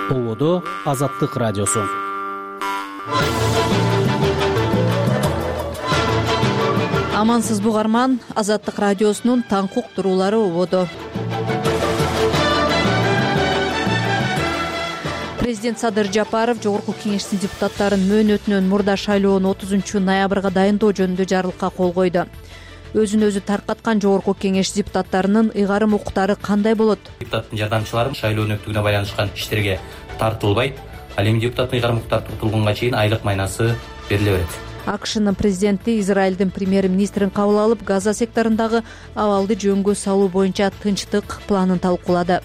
Болодо Азаттык радиосу. Амансызбы угарман, Азаттык радиосунун таңкы уктуруулары ободо. Президент Садыр Жапаров Жогорку Кеңештин депутаттарын мөөнөтүнөн мурда шайлоону 30 ноябрга дайындоо жөнүндө жарлыкка кол койду. Өзүн өзү таркаткан Жогорку Кеңеш депутаттарынын ыйгарым укуктары кандай болот? Депутаттын жардамчылары шайлоонун өтүүгүнө байланышкан иштерге тартылбайт. Ал эми депутаттын ыйгарым укуктары туртулганга чейин айлык майнасы бериле берет. АКШнын президенти Израилдин премьер-министрин кабыл алып, Газа секторундагы абалды жөнгө салуу боюнча тынчтык планын талкуулады.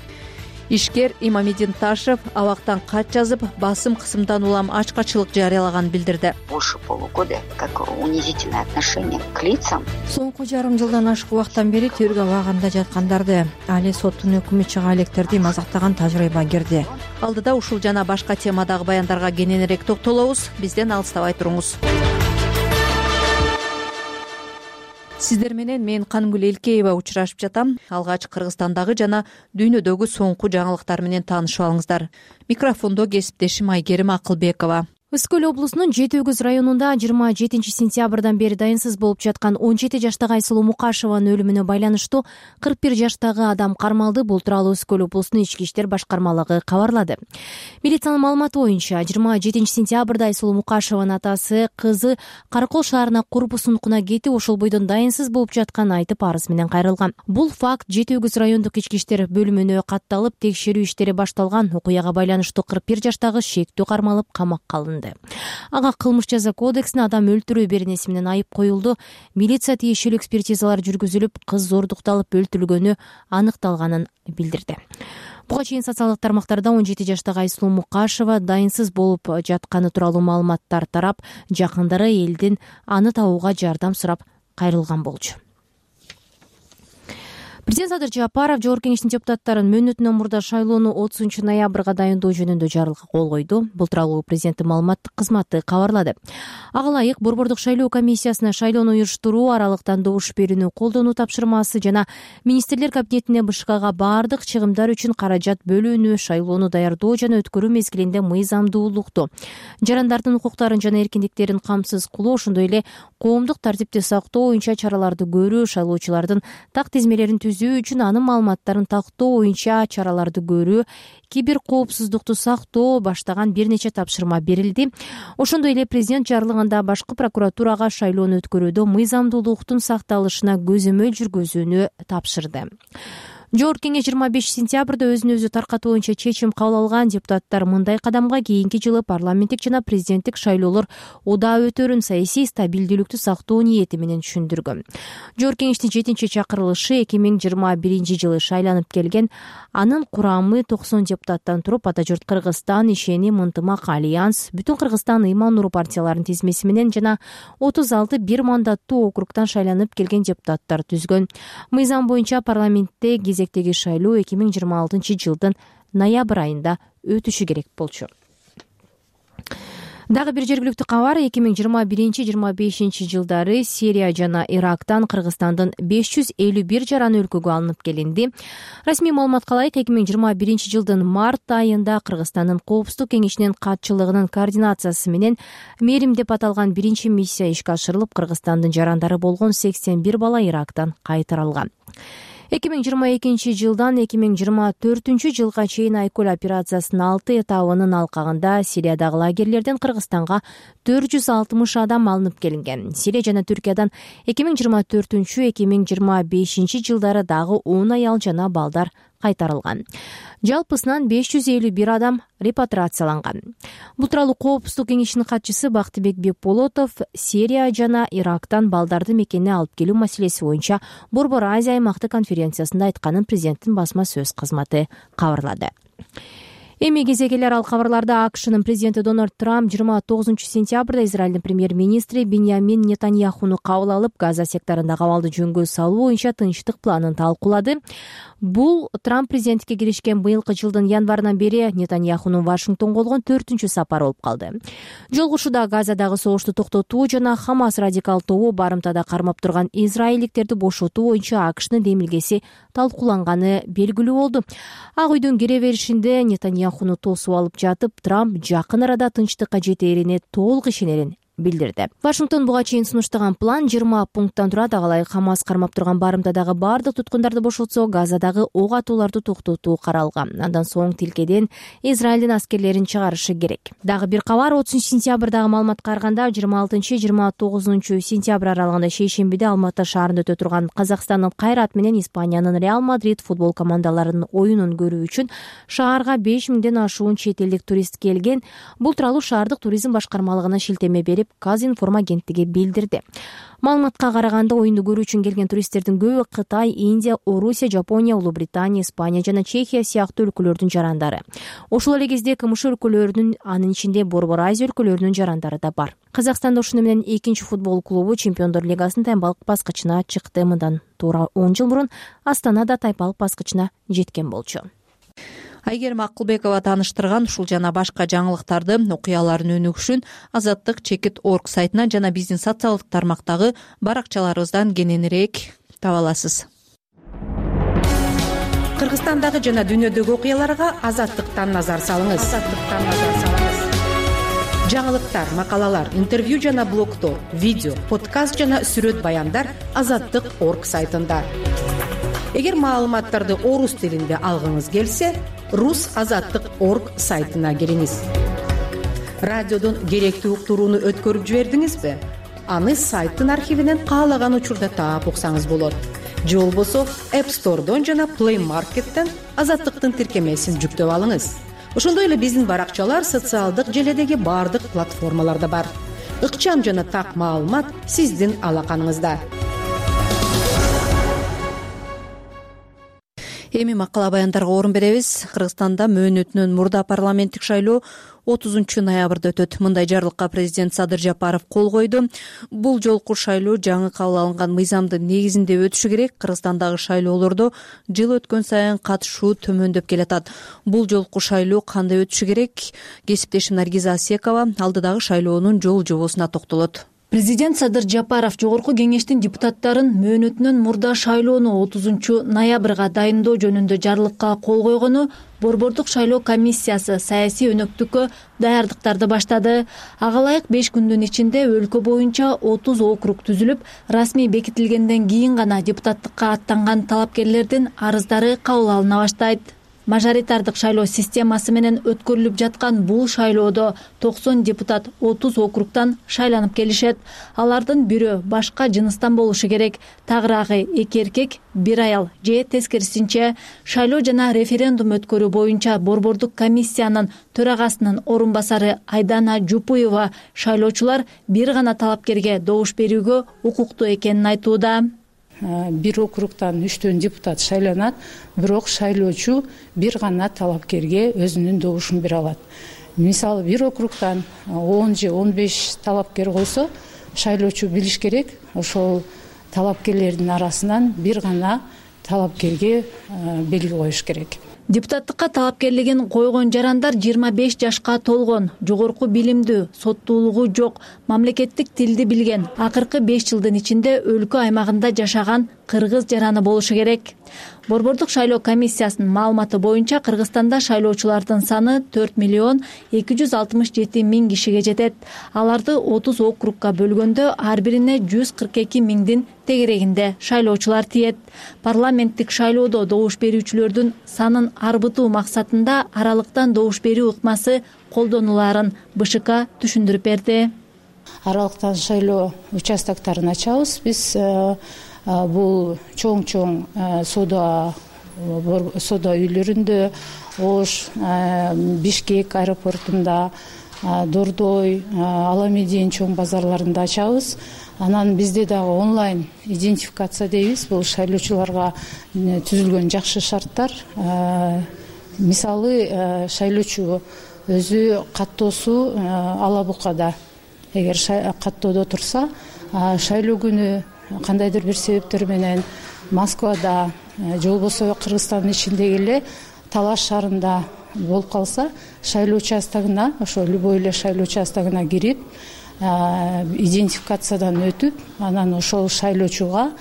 Ишкер Имамедин Ташев абактан кат жазып, басым кысымдан улам ачкачылык жарыялаганын билдирди. Больше полугода, как унизительное отношение к лицам. Соңку жарым жылдан ашык убакыттан бери тергөө абагында жаткандарды, али соттун өкүмү чыга электерди мазактаган тажрыйба кирди. Алдыда ушул жана башка темадагы баяндарга кененирээк токтолобуз. Бизден алыстабай туруңуз. Сиздер менен мен Кангүл Элкеева учурашып жатам. Алгач Кыргызстандагы жана дүйнөдөгү соңку жаңылыктар менен таанышып алыңыздар. Микрофондо кесиптешим Айгерим Акылбекова. Өскөл облусунун Жети Өгүз районунда 27 сентябрдан бери дайынсыз болуп жаткан 17 жаштагы Айсулуу Мукашеванын өлүмүнө байланыштуу 41 жаштагы адам кармалды. Бул тууралуу Өскөл облусунун ички иштер башкармалыгы кабарлады. Милициянын маалыматы боюнча 27 сентябрда Айсулуу Мукашеванын атасы кызы Каракол шаарына курбусун ункуна кетип, ошол бойдон дайынсыз болуп жатканын айтып арыз менен кайрылган. Бул факт Жети Өгүз райондук ички иштер бөлүмүнө катталып, текшерүү иштери башталган. Окуяга байланыштуу 41 жаштагы шектүү кармалып, камакка алынды. Ага кылмыш жаза кодексине адам өлтүрүү беренеси менен айып коюлду. Милиция тиешелүү экспертизалар жүргүзүлүп, кыз зордукталып өлтүрүлгөнү аныкталганын билдирди. Буга чейин социалдык тармактарда 17 жаштагы Айсулуу Мукашева дайынсыз болуп жатканы тууралуу маалыматтар тарап, жакындары элдин аны табууга жардам сурап кайрылган болчу. Президент Садыр Жапаров Жогорку Кеңештин депутаттарын мөөнөтүнөн мурда шайлоону 30 ноябрга дайындоо жөнүндө жарлыкка кол койду. Бул тууралуу президенттин маалыматтык кызматы кабарлады. Ага ылайык Борбордук шайлоо комиссиясына шайлоону уюштуруу, аралыктан добуш берүүнү колдонуу тапшырмасы жана министрлер кабинетине БШКга баардык чыгымдар үчүн каражат бөлүүнү, шайлоону даярдоо жана өткөрүү мезгилинде мыйзамдуулукту, жарандардын укуктарын жана эркиндиктерин камсыз кылуу, ошондой эле коомдук тартипти сактоо боюнча чараларды көрүү, шайлоочулардын так тизмелерин түзүү үчүн анын маалыматтарын тактоо боюнча чараларды көрүү, кибер коопсуздукту сактоо баштаган бир нече тапшырма берилди. Ошондой эле президент жарлыгында башкы прокуратурага шайлоону өткөрүүдө мыйзамдуулуктун сакталышына көзөмөл жүргүзүүнү тапшырды. Жогорку Кеңеш 25 сентябрда өзүн өзү таркатуу боюнча чечим кабыл алган. Депутаттар мындай кадамга кийинки жылы парламенттик жана президенттик шайлоолор удаа өтөрүн саясий стабилдүүлүктү сактоо ниети менен түшүндүргөн. Жогорку Кеңештин 7-чакырылышы 2021 жылы шайланып келген. Анын курамы 90 депутаттан туруп, Ата журт Кыргызстан, Ишеним, Ынтымак, Альянс, Бүтүн Кыргызстан, Ыйман Нуру партияларынын тизмеси менен жана 36 бир мандаттуу округтан шайланып келген депутаттар түзгөн. Мыйзам боюнча парламентте кезектеги шайлоо 2026 жылдын ноябрь айында өтүшү керек болчу. Дагы бир жергиликтүү кабар: 2021-25 жылдары Сирия жана Ирактан Кыргызстандын 551 жараны өлкөгө алынып келинди. Расмий маалыматка ылайык 2021 жылдын март айында Кыргызстандын Коопсуздук кеңешинин катчылыгынын координациясы менен Мерим деп аталган биринчи миссия ишке ашырылып, Кыргызстандын жарандары болгон 81 бала Ирактан кайтарылган. 2022 жылдан 2024 жылга чейин Айкөл операциясынын 6 этабынын алкагында Сириядагы лагерлерден Кыргызстанга 460 адам алынып келинген. Сирия жана Түркиядан 2024-2025 жылдары дагы 10 аял жана балдар кайтарылган. Жалпысынан 551 адам репатриацияланган. Бул тууралуу Коопсуздук кеңешинин катчысы Бактыбек Бекболотов Сирия жана Ирактан балдарды мекенине алып келүү маселеси боюнча Борбор Азия аймактык конференциясында айтканын президенттин басма сөз кызматы кабарлады. Эми кезегелер ал кабарларда АКШнын президенти Дональд Трамп 29 сентябрда Израилдин премьер-министри Биньямин Нетаньяхуну кабыл алып, Газа секторундагы абалды жөнгө салуу боюнча тынчтык планын талкуулады. Бул Трамп президенттикке киришкен быйылкы жылдын январынан бери Нетаньяхунун Вашингтонго болгон 4-чү сапары болуп калды. Жолугушууда Газадагы согушту токтотуу жана Хамас радикал тобу барымтада кармап турган израилдиктерди бошотуу боюнча АКШнын демилгеси талкууланганы белгилүү болду. Ак үйдүн кире беришинде Нетаньяху ахуну тосуп алып жатып, Трамп жакын арада тынчтыкка жетерине толук ишенерин билдирди. Вашингтон буга чейин сунуштаган план 20 пункттан турат. Ага ылайык Хамас кармап турган барымтадагы бардык туткундарды бошотсо, Газадагы ок атууларды токтотуу каралган. Андан соң тилкеден Израилдин аскерлерин чыгарышы керек. Дагы бир кабар, 30 сентябрдагы маалыматка караганда 26-29 сентябрь аралыгында шейшембиде Алматы шаарында өтө турган Казакстандын Кайрат менен Испаниянын Реал Мадрид футбол командаларынын оюнун көрүү үчүн шаарга 5000ден ашуун чет элдик турист келген. Бул тууралуу шаардык туризм башкармалыгына шилтеме берип, Казинформ агенттиги билдирди. Маалыматка караганда, оюнду көрүү үчүн келген туристтердин көбү Кытай, Индия, Орусия, Жапония, Улуу Британия, Испания жана Чехия сыяктуу өлкөлөрдүн жарандары. Ошол эле кезде КМШ өлкөлөрүнүн, анын ичинде Борбор Азия өлкөлөрүнүн жарандары да бар. Казакстанда ушуну менен 2-чи футбол клубу Чемпиондор лигасынын таймбалык баскычына чыкты. Мындан туура 10 жыл мурун Астана да таймбалык баскычына жеткен болчу. Айгерим Акылбекова тааныштырган ушул жана башка жаңылыктарды, окуялардын өнүгүшүн azattik.org сайтынан жана биздин социалдык тармактагы баракчаларыбыздан кененирээк таба аласыз. Кыргызстандагы жана дүйнөдөгү окуяларга Азаттыктан назар салыңыз. Жаңылыктар, макалалар, интервью жана блогдор, видео, подкаст жана сүрөт баяндар azattik.org сайтында. Эгер маалыматтарды орус тилинде алгыңыз келсе, rusazattik.org сайтына кириңиз. Радиодон керектүү уктурууну өткөрүп жибердиңизби? Аны сайттын архивинен каалаган учурда таап уксаңыз болот. Же болбосо App Store'дон жана Play Market'тен Азаттыктын тиркемесин жүктөп алыңыз. Ошондой эле биздин баракчалар социалдык желедеги бардык платформаларда бар. Ыкчам жана так маалымат сиздин алаканыңызда. Эми макала баяндарга орун беребиз. Кыргызстанда мөөнөтүнөн мурда парламенттик шайлоо 30 ноябрда өтөт. Мындай жарлыкка президент Садыр Жапаров кол койду. Бул жолку шайлоо жаңы кабыл алынган мыйзамдын негизинде өтүшү керек. Кыргызстандагы шайлоолордо жыл өткөн сайын катышуу төмөндөп келатат. Бул жолку шайлоо кандай өтүшү керек? Кесиптешим Наргиза Асекова алдыдагы шайлоонун жол жобосуна токтолот. Президент Садыр Жапаров жогорку кеңештин депутаттарын мөөнөтүнөн мурда шайлоону 30 ноябрга дайындоо жөнүндө жарлыкка кол койгону Борбордук шайлоо комиссиясы саясий өнөктүккө даярдыктарды баштады. Ага ылайык 5 күндүн ичинде өлкө боюнча 30 округ түзүлүп, расмий бекитилгенден кийин гана депутаттыкка аттанган талапкерлердин арыздары кабыл алына баштайт. Мажоритардык шайлоо системасы менен өткөрүлүп жаткан бул шайлоодо 90 депутат 30 округтан шайланып келишет. Алардын бирөө башка жыныстан болушу керек. Тагыраагы 2 эркек, 1 аял же тескерисинче. Шайлоо жана референдум өткөрүү боюнча Борбордук комиссиянын төрагасынын орун басары Айдана Жупуева шайлоочулар бир гана талапкерге добуш берүүгө укуктуу экенин айтууда. Бир округтан 3 депутат шайланат, бирок шайлоочу бир гана талапкерге өзүнүн добушун бере алат. Мисалы бир округтан 10 же 15 талапкер койсо, шайлоочу билиш керек, ошол талапкерлердин арасынан бир гана талапкерге белги коюш керек. Депутаттыкка талапкерлигин койгон жарандар 25 жашка толгон, жогорку билимдүү, соттуулугу жок, мамлекеттик тилди билген, акыркы 5 жылдын ичинде өлкө аймагында жашаган кыргыз жараны болушу керек. Борбордук шайлоо комиссиясынын маалыматы боюнча Кыргызстанда шайлоочулардын саны 4,267,000 кишиге жетет. Аларды 30 округга бөлгөндө ар бирине 142,000дин тегерегинде шайлоочулар тиет. Парламенттик шайлоодо добуш берүүчүлөрдүн санын арбытуу максатында аралыктан добуш берүү ыкмасы колдонуларын БШК түшүндүрүп берди. Аралыктан шайлоо участоктарын ачабыз. Биз бул чоң соода үйлөрүндө, Ош, Бишкек аэропортунда, Дордой, Аламедин чоң базарларында ачабыз. Анан бизде дагы онлайн идентификация дейбиз. Бул шайлоочуларга түзүлгөн жакшы шарттар. Мисалы, шайлоочу өзү каттоосу ала букада. Эгер каттоодо турса, шайлоо күнү кандайдыр бир себептер менен Москвада же болбосо Кыргызстандын ичиндеги эле Талаш шаарында болуп калса, шайлоо участогуна, ошо любой эле шайлоо участогуна кирип, идентификациядан өтүп, анан ошол шайлоочуга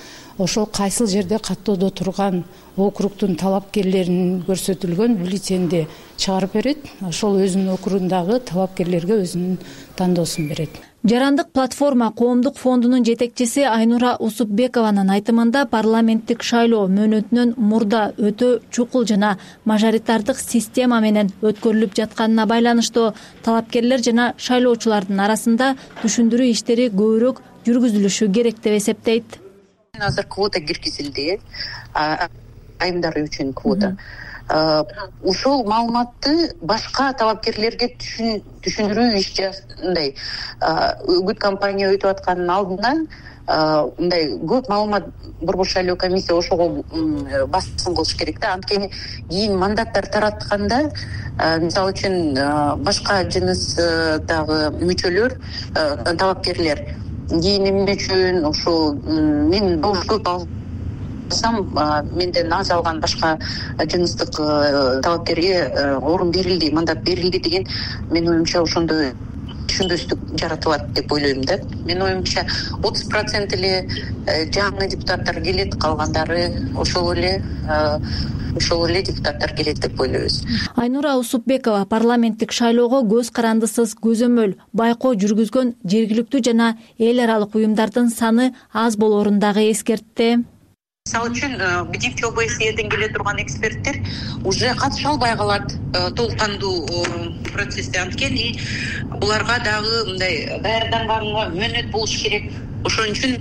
ошол кайсыл жерде каттоодо турган округдун талапкерлеринин көрсөтүлгөн бюллетенди чыгарып берет. Ошол өзүнүн округундагы талапкерлерге өзүнүн тандоосун берет. Жарандык платформа коомдук фондунун жетекчиси Айнура Усупбекованын айтымында парламенттик шайлоо мөөнөтүнөн мурда өтө чукул жана мажоритардык система менен өткөрүлүп жатканына байланыштуу талапкерлер жана шайлоочулардын арасында түшүндүрүү иштери көбүрөөк жүргүзүлүшү керек деп эсептейт. Азыр квота киргизилди, айымдар үчүн квота. Ушул маалыматты башка талапкерлерге түшүндүрүү ишчи үгүт кампания өтүп атканын алдынан мындай көп маалымат Борбор шайлоо комиссия ошого басым кылыш керек да. Анткени кийин мандаттар таратканда, мисалы үчүн башка жыныстагы мүчөлөр, талапкерлер кийин эмне үчүн ошол мен добуш көп менден аз алган башка жыныстык талапкерге орун берилди, мандат берилди деген менин оюмча ошондой түшүнбөстүк жаратылат деп ойлойм да. Менин оюмча 30% эле жаңы депутаттар келет, калгандары ошол эле депутаттар келет деп ойлойбуз. Айнура Усупбекова парламенттик шайлоого көз карандысыз көзөмөл байкоо жүргүзгөн жергиликтүү жана эл аралык уюмдардын саны аз болоорун дагы эскертти. Мисалы үчүн БДИФ ОБСЕден келе турган эксперттер уже катыша албай калат толук кандуу процессте. Анткени буларга дагы мындай даярданганга мөөнөт болуш керек. Ошон үчүн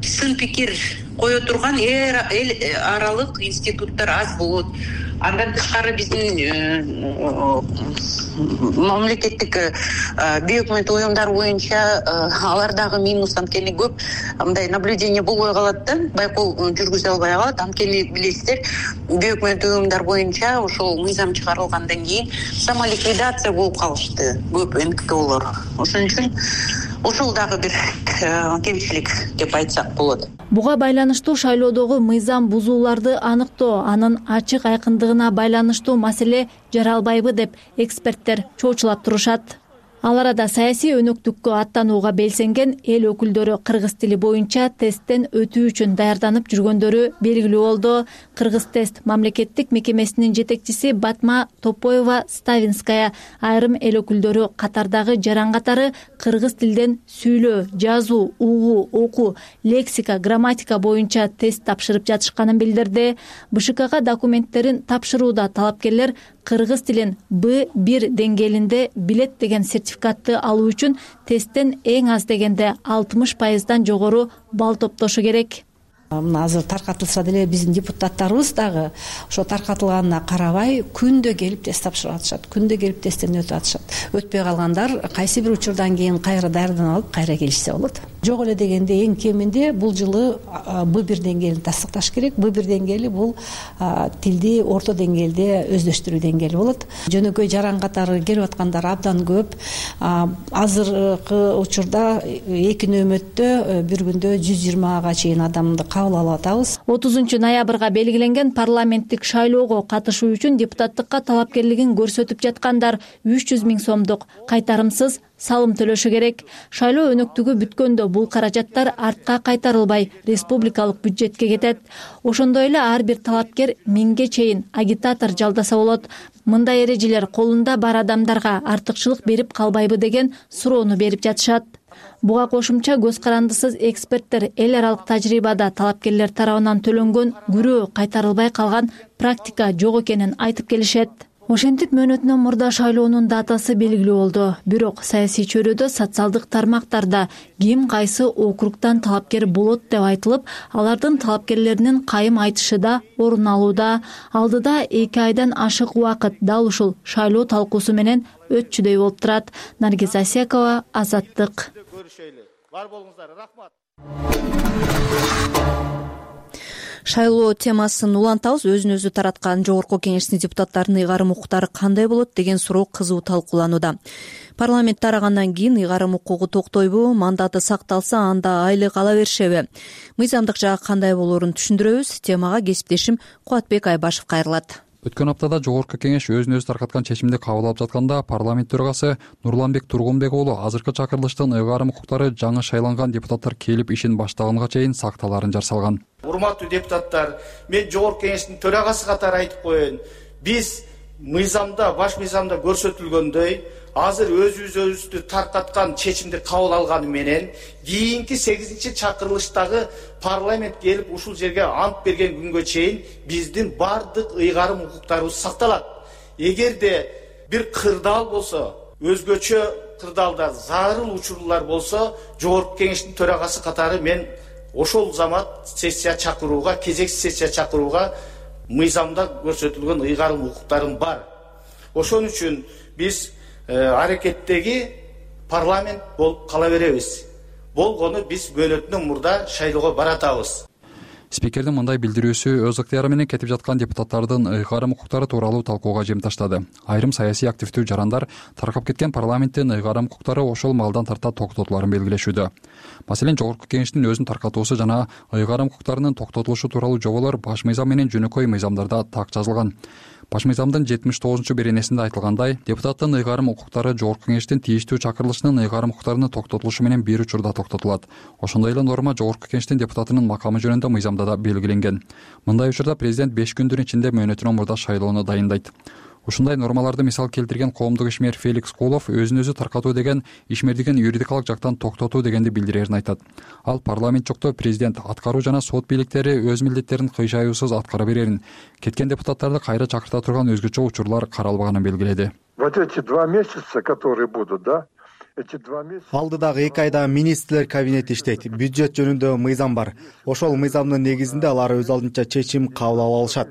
сын пикир кое турган эл аралык институттар аз болот. Андан тышкары биздин мамлекеттик бейөкмөт уюмдар боюнча алар дагы минус. Анткени көп мындай наблюдение болбой калат да, байкоо жүргүзө албай калат. Анткени билесиздер, бейөкмөт уюмдар боюнча ошол мыйзам чыгарылгандан кийин самоликвидация болуп калышты көп НКОлор. Ошон үчүн ошол дагы бир кемчилик деп айтсак болот. Буга байланыштуу шайлоодогу мыйзам бузууларды аныктоо, анын ачык айкындыгына байланыштуу маселе жаралбайбы деп эксперттер чоочулап турушат. Ал арада саясий өнөктүккө аттанууга белсенген эл өкүлдөрү кыргыз тили боюнча тесттен өтүү үчүн даярданып жүргөндөрү белгилүү болду. Кыргыз тест мамлекеттик мекемесинин жетекчиси Батма Топоева-Ставинская айрым эл өкүлдөрү катардагы жаран катары кыргыз тилден сүйлөө, жазуу, угуу, окуу, лексика, грамматика боюнча тест тапшырып жатышканын билдирди. БШКга документтерин тапшырууда талапкерлер кыргыз тилин B1 деңгээлинде билет деген сертификатты алуу үчүн тесттен эң аз дегенде 60% жогору балл топтошу керек. Мына азыр таркатылса деле биздин депутаттарыбыз дагы ошо таркатылганына карабай күндө келип тест тапшырып атышат, күндө келип тесттен өтүп атышат. Өтпөй калгандар кайсы бир учурдан кийин кайра даярданып алып кайра келишсе болот. Жок эле дегенде эң кеминде бул жылы B1 деңгээлин тастыкташ керек. B1 деңгээли бул тилди орто деңгээлде өздөштүрүү деңгээли болот. Жөнөкөй жаран катары келип аткандар абдан көп. Азыркы учурда эки нөөмөттө бир күндө 120га чейин адамды кабыл алып атабыз. 30 ноябрга белгиленген парламенттик шайлоого катышуу үчүн депутаттыкка талапкерлигин көрсөтүп жаткандар 300 000 сомдук кайтарымсыз салым төлөшү керек. Шайлоо өнөктүгү бүткөндө бул каражаттар артка кайтарылбай республикалык бюджетке кетет. Ошондой эле ар бир талапкер 1000ге чейин агитатор жалдаса болот. Мындай эрежелер колунда бар адамдарга артыкчылык берип калбайбы деген суроону берип жатышат. Буга кошумча көз карандысыз эксперттер эл аралык тажрыйбада талапкерлер тарабынан төлөнгөн күрөө кайтарылбай калган практика жок экенин айтып келишет. Ошентип мөөнөтүнөн мурда шайлоонун датасы белгилүү болду. Бирок саясий чөйрөдө социалдык тармактарда ким кайсы округтан талапкер болот деп айтылып, алардын талапкерлеринин кайым айтышы да орун алууда. Алдыда 2 айдан ашык убакыт дал ушул шайлоо талкуусу менен өтчүдөй болуп турат. Наргиз Асекова, Азаттык. Бар болуңуздар, рахмат. Шайлоо темасын улантабыз. Өзүн өзү тараткан жогорку кеңештин депутаттарынын ыйгарым укуктары кандай болот деген суроо кызуу талкууланууда. Парламент тарагандан кийин ыйгарым укугу токтойбу, мандаты сакталса анда айлык ала беришеби? Мыйзамдык жагы кандай болоорун түшүндүрөбүз. Темага кесиптешим Кубатбек Айбашев кайрылат. Өткөн аптада Жогорку Кеңеш өзүн өзү таркаткан чечимди кабыл алып жатканда парламент төрагасы Нурланбек Тургунбек уулу азыркы чакырылыштын ыйгарым укуктары жаңы шайланган депутаттар келип ишин баштаганга чейин сакталаарын жар салган. Урматтуу депутаттар, мен Жогорку Кеңештин төрагасы катары айтып коеюн. Биз мыйзамда, баш мыйзамда көрсөтүлгөндөй, азыр өзүбүздү таркаткан чечимди кабыл алганы менен кийинки 8-чакырылыштагы парламент келип ушул жерге ант берген күнгө чейин биздин бардык ыйгарым укуктарыбыз сакталат. Эгерде бир кырдаал болсо, өзгөчө кырдаалдар, зарыл учурлар болсо, Жогорку Кеңештин төрагасы катары мен ошол замат сессия чакырууга, кезексиз сессия чакырууга мыйзамда көрсөтүлгөн ыйгарым укуктарым бар. Ошон үчүн биз аракеттеги парламент болуп кала беребиз. Болгону биз мөөнөтүнөн мурда шайлоого баратабыз. Спикердин мындай билдирүүсү өз ыктыяры менен кетип жаткан депутаттардын ыйгарым укуктары тууралуу талкууга жем таштады. Айрым саясий активдүү жарандар таркап кеткен парламенттин ыйгарым укуктары ошол маалдан тарта токтотуларын белгилешүүдө. Маселен, Жогорку Кеңештин өзүн таркатуусу жана ыйгарым укуктарынын токтотулушу тууралуу жоболор баш мыйзам менен жөнөкөй мыйзамдарда так жазылган. Баш мыйзамдын 79-беренесинде айтылгандай, депутаттын ыйгарым укуктары Жогорку Кеңештин тийиштүү чакырылышынын ыйгарым укуктарынын токтотулушу менен бир учурда токтотулат. Ошондой эле норма Жогорку Кеңештин депутатынын макамы жөнүндө мыйзамда да белгиленген. Мындай учурда президент 5 күндүн ичинде мөөнөтүнөн мурда шайлоону дайындайт. Ушундай нормаларды мисал келтирген коомдук ишмер Феликс Кулов өзүн өзү таркатуу деген ишмердигин юридикалык жактан токтотуу дегенди билдирерин айтат. Ал парламент жокто президент, аткаруу жана сот бийликтери өз милдеттерин кыйшаюусуз аткара берерин, кеткен депутаттарды кайра чакырта турган өзгөчө учурлар каралбаганын белгиледи. Вот эти 2 месяца, которые будут, да? Алдыдагы 2 айда министрлер кабинети иштейт. Бюджет жөнүндө мыйзам бар. Ошол мыйзамдын негизинде алар өз алдынча чечим кабыл ала алышат.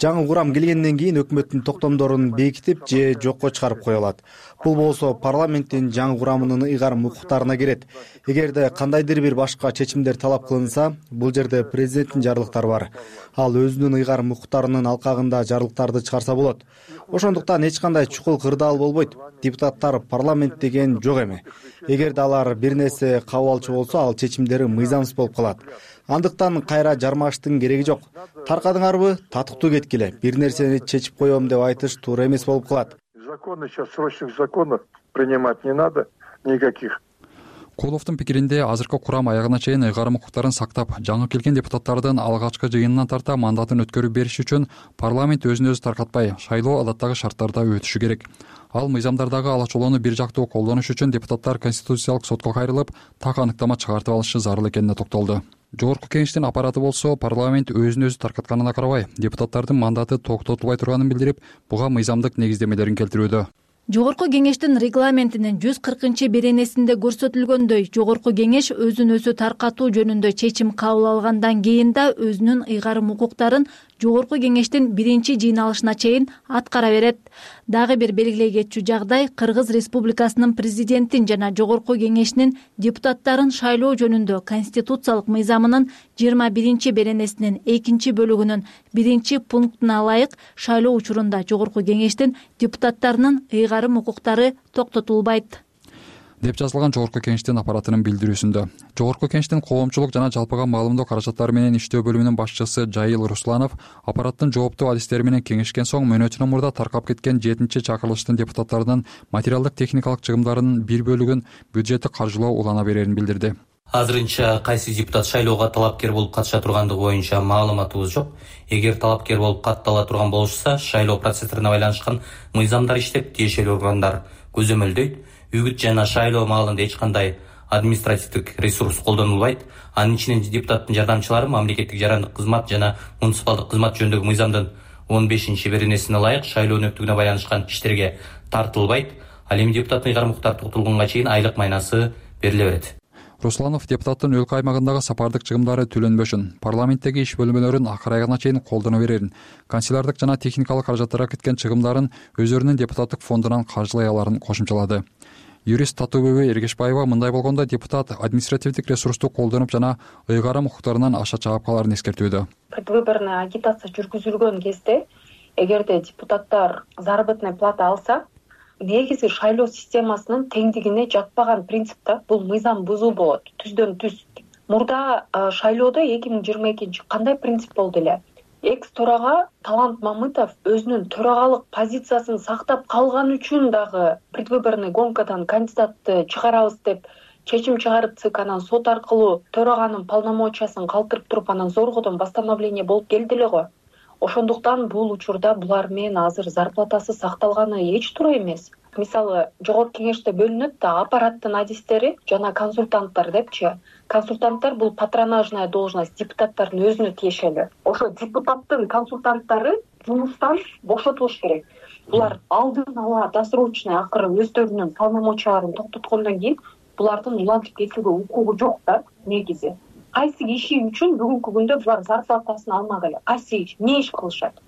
Жаңы курам келгенден кийин өкмөттүн токтомдорун бекитип же жокко чыгарып кое алат. Бул болсо парламенттин жаңы курамынын ыйгарым укуктарына кирет. Эгерде кандайдыр бир башка чечимдер талап кылынса, бул жерде президенттин жарлыктары бар. Ал өзүнүн ыйгарым укуктарынын алкагында жарлыктарды чыгарса болот. Ошондуктан эч кандай чукул кырдаал болбойт. Депутаттар парламент деген жок эме. Эгерде алар бир нерсе кабыл алчу болсо, ал чечимдери мыйзамсыз болуп калат. Андыктан кайра жармаштын кереги жок. Таркадыңарбы, татыктуу кеткиле. Бир нерсени чечип коем деп айтыш туура эмес болуп калат. Законы сейчас, срочных законов принимать не надо никаких. Куловдун пикиринде азыркы курам аягына чейин ыйгарым укуктарын сактап, жаңы келген депутаттардын алгачкы жыйынынан тарта мандатын өткөрүп бериш үчүн парламент өзүн өзү таркатпай, шайлоо адаттагы шарттарда өтүшү керек. Ал мыйзамдардагы алачолоону бир жактуу колдонуш үчүн депутаттар Конституциялык сотко кайрылып, так аныктама чыгартып алышы зарыл экенине токтолду. Жогорку Кеңештин аппараты болсо парламент өзүн өзү таркатканына карабай, депутаттардын мандаты токтотулбай турганын билдирип, буга мыйзамдык негиздемелерин келтирүүдө. Жогорку Кеңештин регламентинин 140-беренесинде көрсөтүлгөндөй, Жогорку Кеңеш өзүн өзү таркатуу жөнүндө чечим кабыл алгандан кийин да өзүнүн ыйгарым укуктарын Жогорку Кеңештин 1-жыйналышына чейин аткара берет. Дагы бир белгилей кетчү жагдай Кыргыз Республикасынын президентин жана Жогорку Кеңешинин депутаттарын шайлоо жөнүндө Конституциялык мыйзамынын 21-беренесинин 2-бөлүгүнүн 1-пунктуна ылайык шайлоо учурунда Жогорку Кеңештин депутаттарынын ыйгарым укуктары токтотулбайт деп жазылган Жогорку Кеңештин аппаратынын билдирүүсүндө. Жогорку Кеңештин коомчулук жана жалпыга маалымдоо каражаттары менен иштөө бөлүмүнүн башчысы Жайыл Русланов аппараттын жооптуу адистери менен кеңешкен соң мөөнөтүнөн мурда таркап кеткен 7-чакырылыштын депутаттарынын материалдык техникалык чыгымдарынын бир бөлүгүн бюджеттик каржылоо улана берерин билдирди. Азырынча кайсы депутат шайлоого талапкер болуп катыша тургандыгы боюнча маалыматыбыз жок. Эгер талапкер болуп каттала турган болушса, шайлоо процесстерине байланышкан мыйзамдар иштеп, тиешелүү органдар көзөмөлдөйт. Үгүт жана шайлоо маалында эч кандай административдик ресурс колдонулбайт. Анын ичинен депутаттын жардамчылары мамлекеттик жарандык кызмат жана муниципалдык кызмат жөнүндөгү мыйзамдын 15-беренесине ылайык шайлоо өнөктүгүнө байланышкан иштерге тартылбайт. Ал эми депутаттын ыйгарым укуктары токтотулганга чейин айлык майнасы бериле берет. Русланов депутаттын өлкө аймагындагы сапардык чыгымдары төлөнбөшүн, парламенттеги иш бөлмөлөрүн акыр айына чейин колдоно берерин, канцелярдык жана техникалык каражаттарга кеткен чыгымдарын өздөрүнүн депутаттык фондунан каржылай аларын кошумчалады. Юрист Татыбүбү Эргешбаева мындай болгондо депутат административдик ресурсту колдонуп жана ыйгарым укуктарынан аша чаап каларын эскертүүдө. Предвыборный агитация жүргүзүлгөн кезде эгерде депутаттар заработная плата алса, негизи шайлоо системасынын теңдигине жатпаган принципте бул мыйзам бузуу болот. Түздөн түз. Мурда шайлоодо 2022 кандай принцип болду эле? экс төрага Талант Мамытов өзүнүн төрагалык позициясын сактап калган үчүн дагы предвыборный гонкадан кандидатты чыгарабыз деп чечим чыгарып ЦИК анан сот аркылуу төраганын полномочиясын калтырып туруп анан зоргодон постановление болуп келди эле го. Ошондуктан бул учурда булар менен азыр зарплатасы сакталганы эч туура эмес. Мисалы, жогорку кеңеште бөлүнөт да аппараттын адистери жана консультанттар депчи. Консультанттар бул патронажная должность, депутаттардын өзүнө тиешелүү. Ошо депутаттын консультанттары жумуштан бошотулуш керек. Булар алдын ала досрочный акыры өздөрүнүн полномочияларын токтоткондон кийин булардын улантып кетүүгө укугу жок да негизи. Кайсы иши үчүн бүгүнкү күндө булар зарплатасын алмак эле? Кайсы иш, эмне иш кылышат?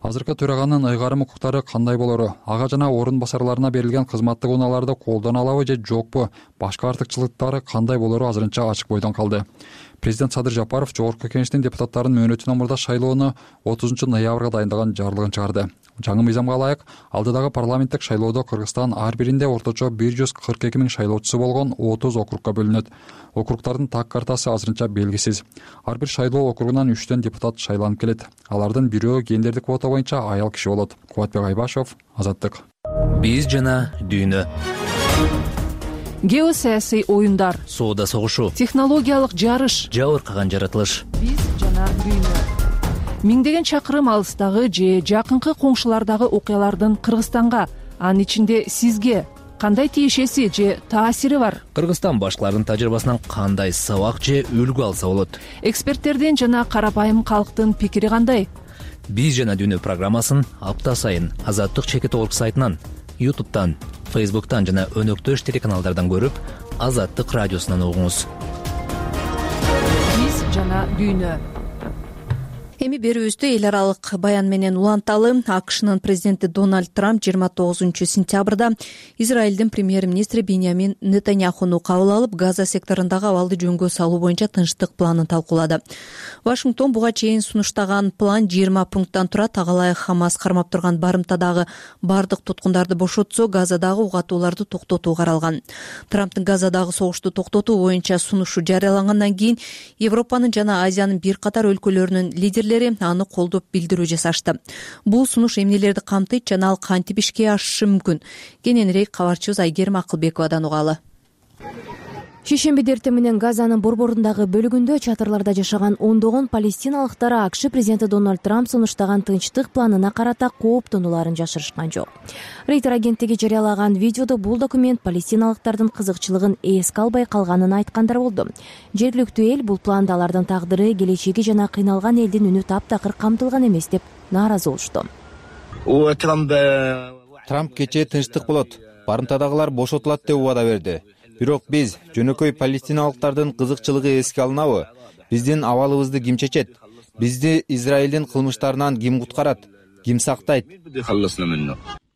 Азыркы төраганын ыйгарым укуктары кандай болору, ага жана орун басарларына берилген кызматтык унааларды колдоно алабы же жокпу, башка артыкчылыктары кандай болору азырынча ачык бойдон калды. Президент Садыр Жапаров жогорку кеңештин депутаттарын мөөнөтүнөн мурда шайлоону 30 ноябрга дайындаган жарлыгын чыгарды. Жаңы мыйзамга ылайык алдыдагы парламенттик шайлоодо Кыргызстан ар биринде орточо 142 000 шайлоочусу болгон 30 округка бөлүнөт. Округдардын так картасы азырынча белгисиз. Ар бир шайлоо округунан 3төн депутат шайланып келет. Алардын бирөө гендердик квота боюнча аял киши болот. Кубатбек Айбашев, Азаттык. Биз жана дүйнө. Геосаясий оюндар, соода согушу, технологиялык жарыш, жабыркаган жаратылыш. Биз жана дүйнө. Миңдеген чакырым алыстагы же жакынкы коңшулардагы окуялардын Кыргызстанга, анын ичинде сизге кандай тиешеси же таасири бар? Кыргызстан башкалардын тажрыйбасынан кандай сабак же үлгү алса болот? Эксперттердин жана карапайым калктын пикири кандай? Биз жана дүйнө программасын апта сайын Азаттык чекит орг сайтынан, YouTube'тан, Facebook'тан жана өнөктөш телеканалдардан көрүп, Азаттык радиосунан угуңуз. Биз жана дүйнө. Эми берүүбүздү эл аралык баян менен уланталы. АКШнын президенти Дональд Трамп 29 сентябрда Израилдин премьер-министри Биньямин Нетаньяхуну кабыл алып, Газа секторундагы абалды жөнгө салуу боюнча тынчтык планын талкуулады. Вашингтон буга чейин сунуштаган план 20 пункттан турат. Ага Хамас кармап турган барымтадагы бардык туткундарды бошотсо, Газадагы угатууларды токтотуу каралган. Трамптын Газадагы согушту токтотуу боюнча сунушу жарыялангандан кийин Европанын жана Азиянын бир катар өлкөлөрүнүн лидерлери аны колдоп билдирүү жасашты. Бул сунуш эмнелерди камтыйт жана ал кантип ишке ашышы мүмкүн? Кененирээк кабарчыбыз Айгерим Акылбековадан угалы. Шейшембиде эртең менен Газанын борборундагы бөлүгүндө чатырларда жашаган ондогон палестиналыктар АКШ президенти Дональд Трамп сунуштаган тынчтык планына карата кооптонуларын жашырышкан жок. Рейтер агенттиги жарыялаган видеодо бул документ палестиналыктардын кызыкчылыгын эске албай калганын айткандар болду. Жергиликтүү эл бул планда алардын тагдыры, келечеги жана кыйналган элдин үнү таптакыр камтылган эмес деп нааразы болушту. Трамп кечээ тынчтык болот, барымтадагылар бошотулат деп убада берди. Бирок биз жөнөкөй палестиналыктардын кызыкчылыгы эске алынабы? Биздин абалыбызды ким чечет? Бизди Израилдин кылмыштарынан ким куткарат? Ким сактайт?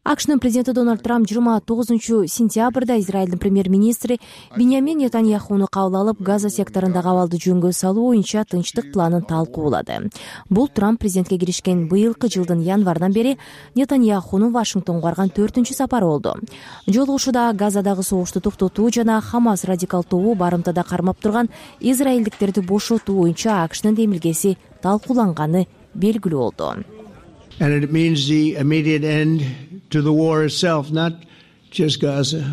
АКШнын президенти Дональд Трамп 29 сентябрда Израилдин премьер-министри Биньямин Нетаньяхуну кабыл алып, Газа секторундагы абалды жөнгө салуу боюнча тынчтык планын талкуулады. Бул Трамп президентке киришкен быйылкы жылдын январдан бери Нетаньяхунун Вашингтонго барган 4-чү сапары болду. Жолугушууда Газадагы согушту токтотуу жана Хамас радикал тобу барымтада кармап турган израилдиктерди бошотуу боюнча АКШнын демилгеси талкууланганы белгилүү болду. And it means the immediate end to the war itself, not just Gaza.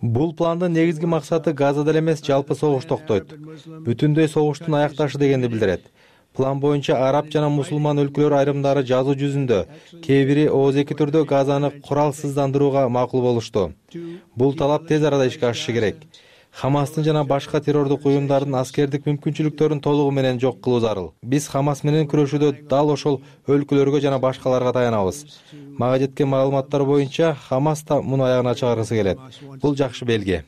Бул пландын негизги максаты Газада эле эмес, жалпы согуш токтойт. Бүтүндөй согуштун аякташы дегенди билдирет. План боюнча араб жана мусулман өлкөлөр айрымдары жазуу жүзүндө, кээ бири ооздеки түрдө Газаны куралсыздандырууга макул болушту. Бул талап тез арада ишке ашышы керек. Хамастын жана башка террордук уюмдардын аскердик мүмкүнчүлүктөрүн толугу менен жок кылуу зарыл. Биз Хамас менен күрөшүүдө дал ошол өлкөлөргө жана башкаларга таянабыз. Мага жеткен маалыматтар боюнча Хамас да муну аягына чыгаргысы келет. Бул жакшы белги.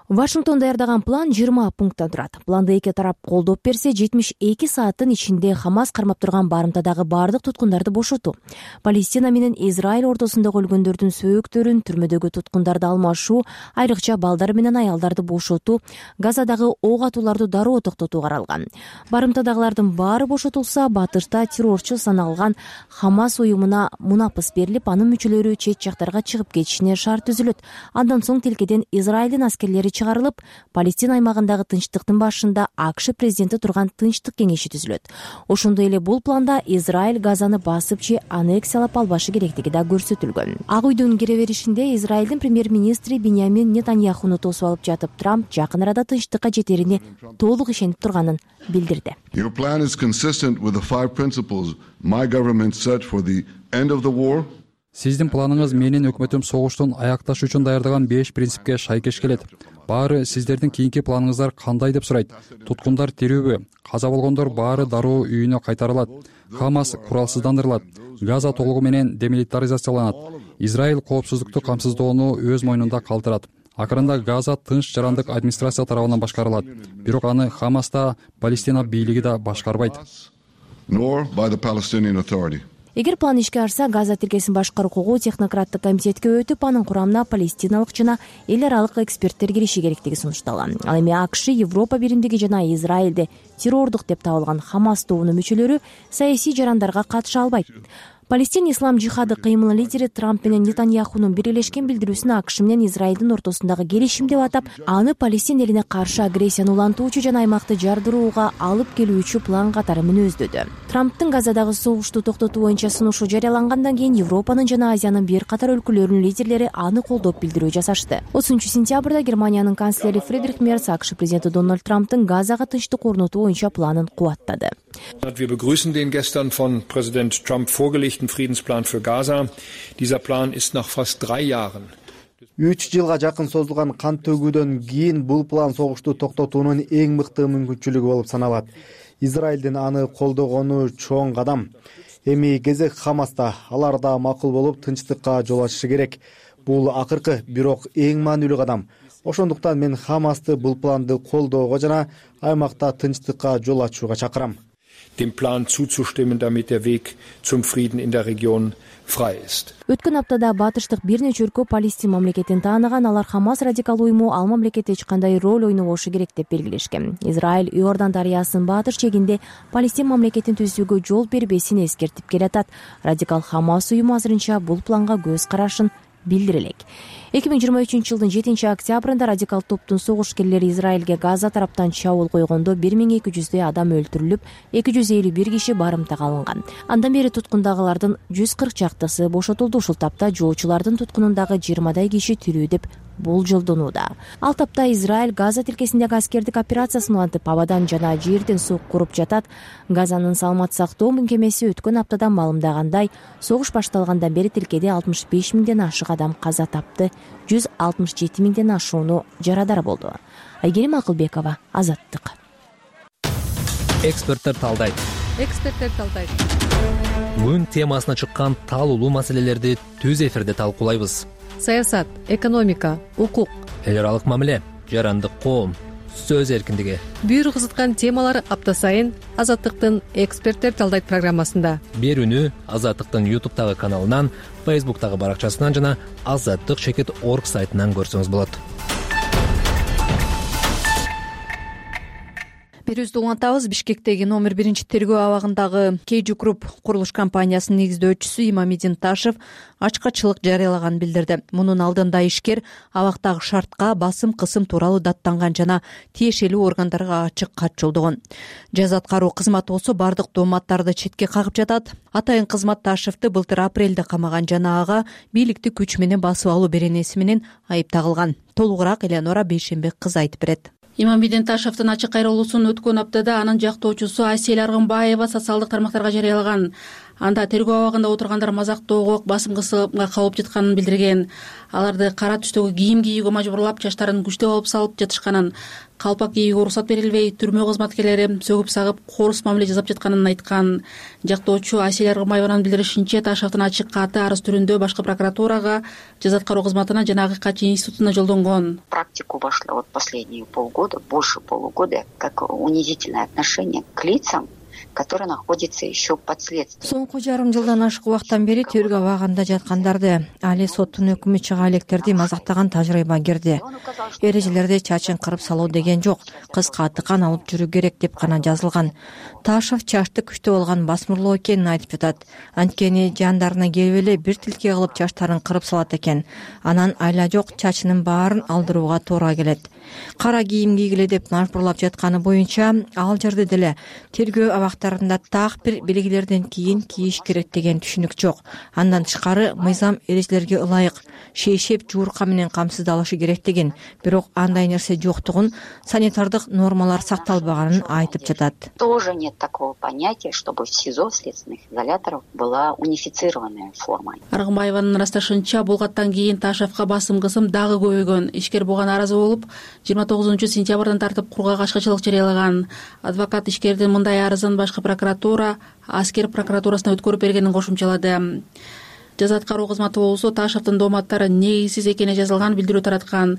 Вашингтон даярдаган план 20 пункттан турат. Планды эки тарап колдоп берсе, 72 сааттын ичинде Хамас кармап турган барымтадагы бардык туткундарды бошотуу, Палестина менен Израиль ортосундагы өлгөндөрдүн сөөктөрүн, түрмөдөгү туткундарды алмашуу, айрыкча балдар менен аялдарды бошотуу, Газадагы ок атууларды дароо токтотуу каралган. Барымтадагылардын баары бошотулса, батышта террорчу саналган Хамас уюмуна мунапыс берилип, анын мүчөлөрү чет жактарга чыгып кетишине шарт түзүлөт. Андан соң тилкеден Израилдин аскерлери чыгарылып, Палестина аймагындагы тынчтыктын башында АКШ президенти турган тынчтык кеңеши түзүлөт. Ошондой эле бул планда Израиль Газаны басып же аннексиялап албашы керектиги да көрсөтүлгөн. Ак үйдүн кире беришинде Израилдин премьер-министри Биньямин Нетаньяхуну тосуп алып жатып, Трамп жакын арада тынчтыкка жетерине толук ишенип турганын билдирди. Your plan is consistent with the 5 principles my government set for the end of the war. Сиздин планыңыз менин өкмөтүм согуштун аякташ үчүн даярдаган 5 принципке шайкеш келет. Баары сиздердин кийинки планыңыздар кандай деп сурайт. Туткундар тирүүбү? Каза болгондор баары дароо үйүнө кайтарылат. Хамас куралсыздандырылат. Газа толугу менен демилитаризацияланат. Израиль коопсуздукту камсыздоону өз мойнунда калтырат. Акырында Газа тынч жарандык администрация тарабынан башкарылат. Бирок аны Хамас да, Палестина бийлиги да башкарбайт. Nor by the Palestinian Authority. Эгер план ишке ашса, Газа тилкесин башкаруу укугу технократтык комитетке өтүп, анын курамына палестиналык жана эл аралык эксперттер кириши керектиги сунушталган. Ал эми АКШ, Европа биримдиги жана Израилде террордук деп табылган Хамас тобунун мүчөлөрү саясий жарандарга катыша албайт. Палестин ислам жихады кыймылы лидери Трамп менен Нетаньяхунун бирелешкен билдирүүсүн АКШ менен Израилдин ортосундагы келишим деп атап, аны Палестин элине каршы агрессияны улантуучу жана аймакты жардырууга алып келүүчү план катары мүнөздөдү. Трамптын Газадагы согушту токтотуу боюнча сунушу жарыялангандан кийин Европанын жана Азиянын бир катар өлкөлөрүнүн лидерлери аны колдоп билдирүү жасашты. 30-сентябрда Германиянын канцлери Фридрих Мерц АКШ президенти Дональд Трамптын Газага тынчтык орнотуу боюнча планын кубаттады. Wir begrüßen den gestern von Präsident Trump vorgelegten Friedensplan für Gaza. Dieser Plan ist nach fast 3 Jahren. 3 жылга жакын созулган кан төгүүдөн кийин бул план согушту токтотуунун эң мыкты мүмкүнчүлүгү болуп саналат. Израилдин аны колдогону чоң кадам. Эми кезек Хамаста, алар да макул болуп тынчтыкка жол ачышы керек. Бул акыркы, бирок эң маанилүү кадам. Ошондуктан мен Хамасты бул планды колдоого жана аймакта тынчтыкка жол ачууга чакырам. Dem Plan zuzustimmen, damit der Weg zum Frieden in der Region frei ist. Өткөн аптада батыштык бир нече өлкө Палестин мамлекетин тааныган, алар Хамас радикал уюму ал мамлекетте эч кандай роль ойнобошу керек деп белгилешкен. Израиль Иордан дарыясынын батыш чегинде Палестин мамлекетин түзүүгө жол бербесин эскертип келатат. Радикал Хамас уюму азырынча бул планга көз карашын билдире элек. 2023-жылдын 7-октябрында радикал топтун согушкерлери Израилге Газа тараптан чабуул койгондо 1200 адам өлтүрүлүп, 251 киши барымтага алынган. Андан бери туткундагылардын 140 чактысы бошотулду. Ушул тапта жоочулардын туткунундагы 20 киши тирүү деп болжолдонууда. Ал тапта Израиль Газа тилкесиндеги аскердик операциясын улантып, абадан жана жерден суу куруп жатат. Газанын саламат сактоо мекемеси өткөн аптада маалымдагандай, согуш башталгандан бери тилкеде 65 миңден ашык адам каза тапты, 167 миңден ашууну жарадар болду. Айгерим Акылбекова, Азаттык. Эксперттер талдайт. Күн темасына чыккан талуулуу маселелерди түз эфирде талкуулайбыз. Саясат, экономика, укук, эл аралык мамиле, жарандык коом, сөз эркиндиги. Бир кызыткан темалар апта сайын Азаттыктын эксперттер талдайт программасында. Берүүнү Азаттыктын YouTube'дагы каналынан, Facebook'дагы баракчасынан жана azattik.org сайтынан көрсөңүз болот. Берүүбүздү улантабыз. Бишкектеги номер 1 тергөө абагындагы Кейджи Групп курулуш компаниясынын негиздөөчүсү Имамидин Ташев ачкачылык жарыялаганын билдирди. Мунун алдында ишкер абактагы шартка басым кысым тууралуу даттанган жана тиешелүү органдарга ачык кат жолдогон. Жаза аткаруу кызматы болсо бардык дооматтарды четке кагып жатат. Атайын кызмат Ташевди былтыр апрелде камаган жана ага бийликти күч менен басып алуу беренеси менен айып тагылган. Толугураак Элеонора Бейшенбек кызы айтып берет. Имамидин Ташевдин ачык кайрылуусун өткөн аптада анын жактоочусу Асель Аргынбаева социалдык тармактарга жарыялаган. Анда тергөө абагында отургандар мазактоого, басым кысымга кабылып жатканын билдирген. Аларды кара түстөгү кийим кийүүгө мажбурлап, чачтарын күчтөп алып салып жатышканын, калпак кийүүгө уруксат берилбей, түрмө кызматкерлери сөгүп сагып, коорус мамиле жасап жатканын айткан. Жактоочу Асель Аргынбаеванын билдиришинче, Ташевдин ачык каты арыз түрүндө башкы прокуратурага, жаза аткаруу кызматына жана АККЧ институтуна жолдонгон. Практику вошла вот последние полгода, больше полугода, как унизительное отношение к лицам, которые находятся еще под следствием. Соңку жарым жылдан ашык убакыттан бери тергөө абагында жаткандарды, али соттун өкүмү чыга электерди мазактаган тажрыйба кирди. Эрежелерде чачын кырып салуу деген жок, кыска тыкан алып жүрүү керек деп гана жазылган. Ташев чачты күчтөп алган басмырлоо экенин айтып жатат. Анткени жандарына келип эле бир тилке кылып чачтарын кырып салат экен. Анан айла жок чачынын баарын алдырууга туура келет. кара кийим кийгиле деп мажбурлап жатканы боюнча ал жерде деле тергөө абактарында так бир белгилерден кийин кийиш керек деген түшүнүк жок. Андан тышкары мыйзам эрежелерге ылайык шейшеп жуурка менен камсыздалышы керек деген, бирок андай нерсе жоктугун, санитардык нормалар сакталбаганын айтып жатат. Тоже нет такого понятия, чтобы в СИЗО следственных изоляторов была унифицированная форма. Аргымбаеванын ырасташынча, бул каттан кийин Ташевка басым-кысым дагы көбөйгөн. Ишкер буга нааразы болуп, 29-сентябрдан тартып курга качкычылык жарыялаган. Адвокат ишкердин мындай арызын башкы прокуратура аскер прокуратурасына өткөрүп бергенин кошумчалады. Жаза аткаруу кызматы болсо Ташевдин дооматтары негизсиз экени жазылган билдирүү тараткан.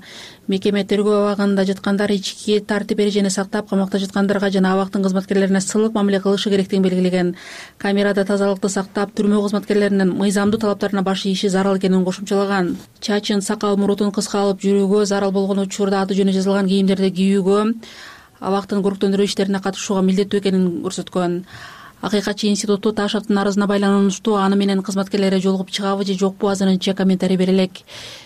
Мекеме тергөө абагында жаткандар ички тартип эрежени сактап, камакта жаткандарга жана абактын кызматкерлерине сылык мамиле кылышы керектигин белгилеген. Камерада тазалыкты сактап, түрмө кызматкерлеринин мыйзамдуу талаптарына баш ийиши зарыл экенин кошумчалаган. Чачын, сакал мурутун кыска алып жүрүүгө, зарыл болгон учурда аты жөнү жазылган кийимдерди кийүүгө, абактын көрктөндүрүү иштерине катышууга милдеттүү экенин көрсөткөн. Акыйкатчы институту Ташевдин арызына байланыштуу аны менен кызматкерлери жолугуп чыгабы же жокпу азырынча комментарий бере элек.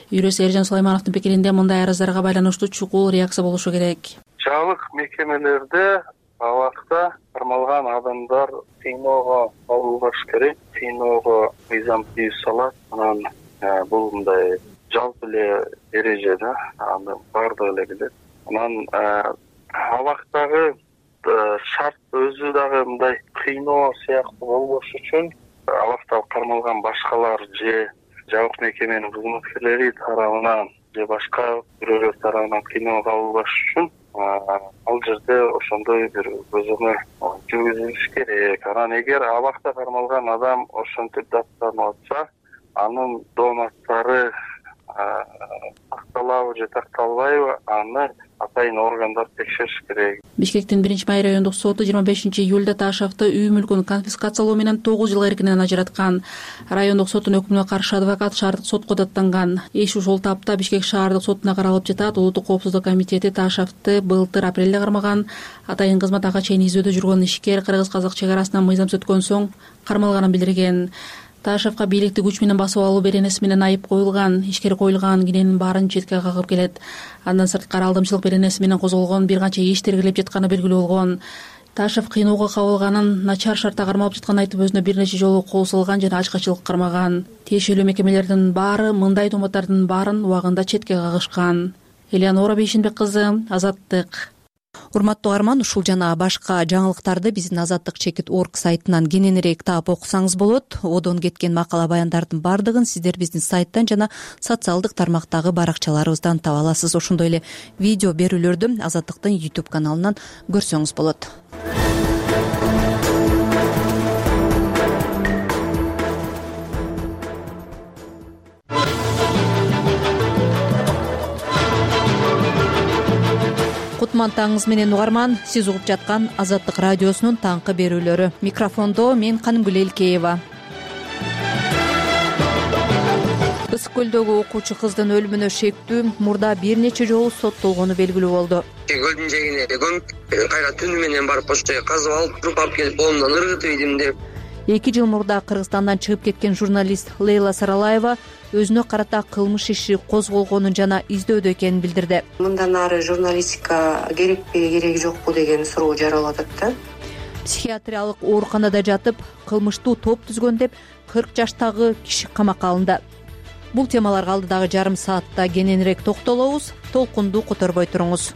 Юрист Эржан Сулаймановдун пикиринде мындай арыздарга байланыштуу чукул реакция болушу керек. Жабык мекемелерде абакта кармалган адамдар сыйноого алынбаш керек. Сыйноого мыйзам тийип салат. Анан бул мындай жалпы эле эреже да, аны баардыгы эле билет. Анан абактагы шарт өзү дагы мындай кыйноо сыяктуу болбош үчүн абакта кармалган башкалар же жабык мекеменин кызматкерлери тарабынан же башка бирөөлөр тарабынан кыйноого алынбаш үчүн ал жерде ошондой бир көзөмөл жүргүзүлүш керек. Анан эгер абакта кармалган адам ошентип даттанып атса, анын дооматтары такталабы же такталбайбы, аны атайын органдар текшериш керек. Бишкектин 1-Май райондук соту 25-июлда Ташевди үй мүлкүн конфискациялоо менен 9 жылга эркинен ажыраткан. Райондук соттун өкүмүнө каршы адвокат шаардык сотко даттанган. Иш ушул тапта Бишкек шаардык сотуна каралып жатат. Улуттук коопсуздук комитети Ташевди былтыр апрелде кармаган. Атайын кызмат ага чейин изөөдө жүргөн ишкер кыргыз-казак чек арасынан мыйзам өткөн соң кармалганын билдирген. Ташевка бийликти күч менен басып алуу беренеси менен айып коюлган. Ишкер коюлган киненин баарын четке кагып келет. Андан сырткары алдамчылык беренеси менен козголгон бир канча иш тергелеп жатканы белгилүү болгон. Ташев кыйноого кабылганын, начар шартта кармалып жатканын айтып, өзүнө бир нече жолу кол салган жана ачкачылык кармаган. Тиешелүү мекемелердин баары мындай дооматтардын баарын убагында четке кагышкан. Элеонора Бейшенбек кызы, Азаттык. Урматтуу угарман, ушул жана башка жаңылыктарды биздин azattik.org сайтынан кененирээк таап окусаңыз болот. Одон кеткен макала баяндардын бардыгын сиздер биздин сайттан жана социалдык тармактагы баракчаларыбыздан таба аласыз. Ошондой эле видео берүүлөрдү Азаттыктын YouTube каналынан көрсөңүз болот. Кутман таңыңыз менен угарман, сиз угуп жаткан Азаттык радиосунун таңкы берүүлөрү. Микрофондо мен Канымгүл Элкеева. Ысык көлдөгү окуучу кыздын өлүмүнө шектүү мурда бир нече жолу соттолгону белгилүү болду. Көлдүн жээгине кайра түнү менен барып ошол жерге казып алып, туруп алып келип колумдан ыргытып идим деп. 2 жыл мурда Кыргызстандан чыгып кеткен журналист Лейла Саралаева өзүнө карата кылмыш иши козголгонун жана издөөдө экенин билдирди. Мындан ары журналистика керекпи, кереги жокпу деген суроо жаралып атат да. Психиатриялык ооруканада жатып, кылмыштуу топ түзгөн деп 40 жаштагы киши камакка алынды. Бул темаларга алдыдагы жарым саатта кененирээк токтолобуз. Толкунду которбой туруңуз.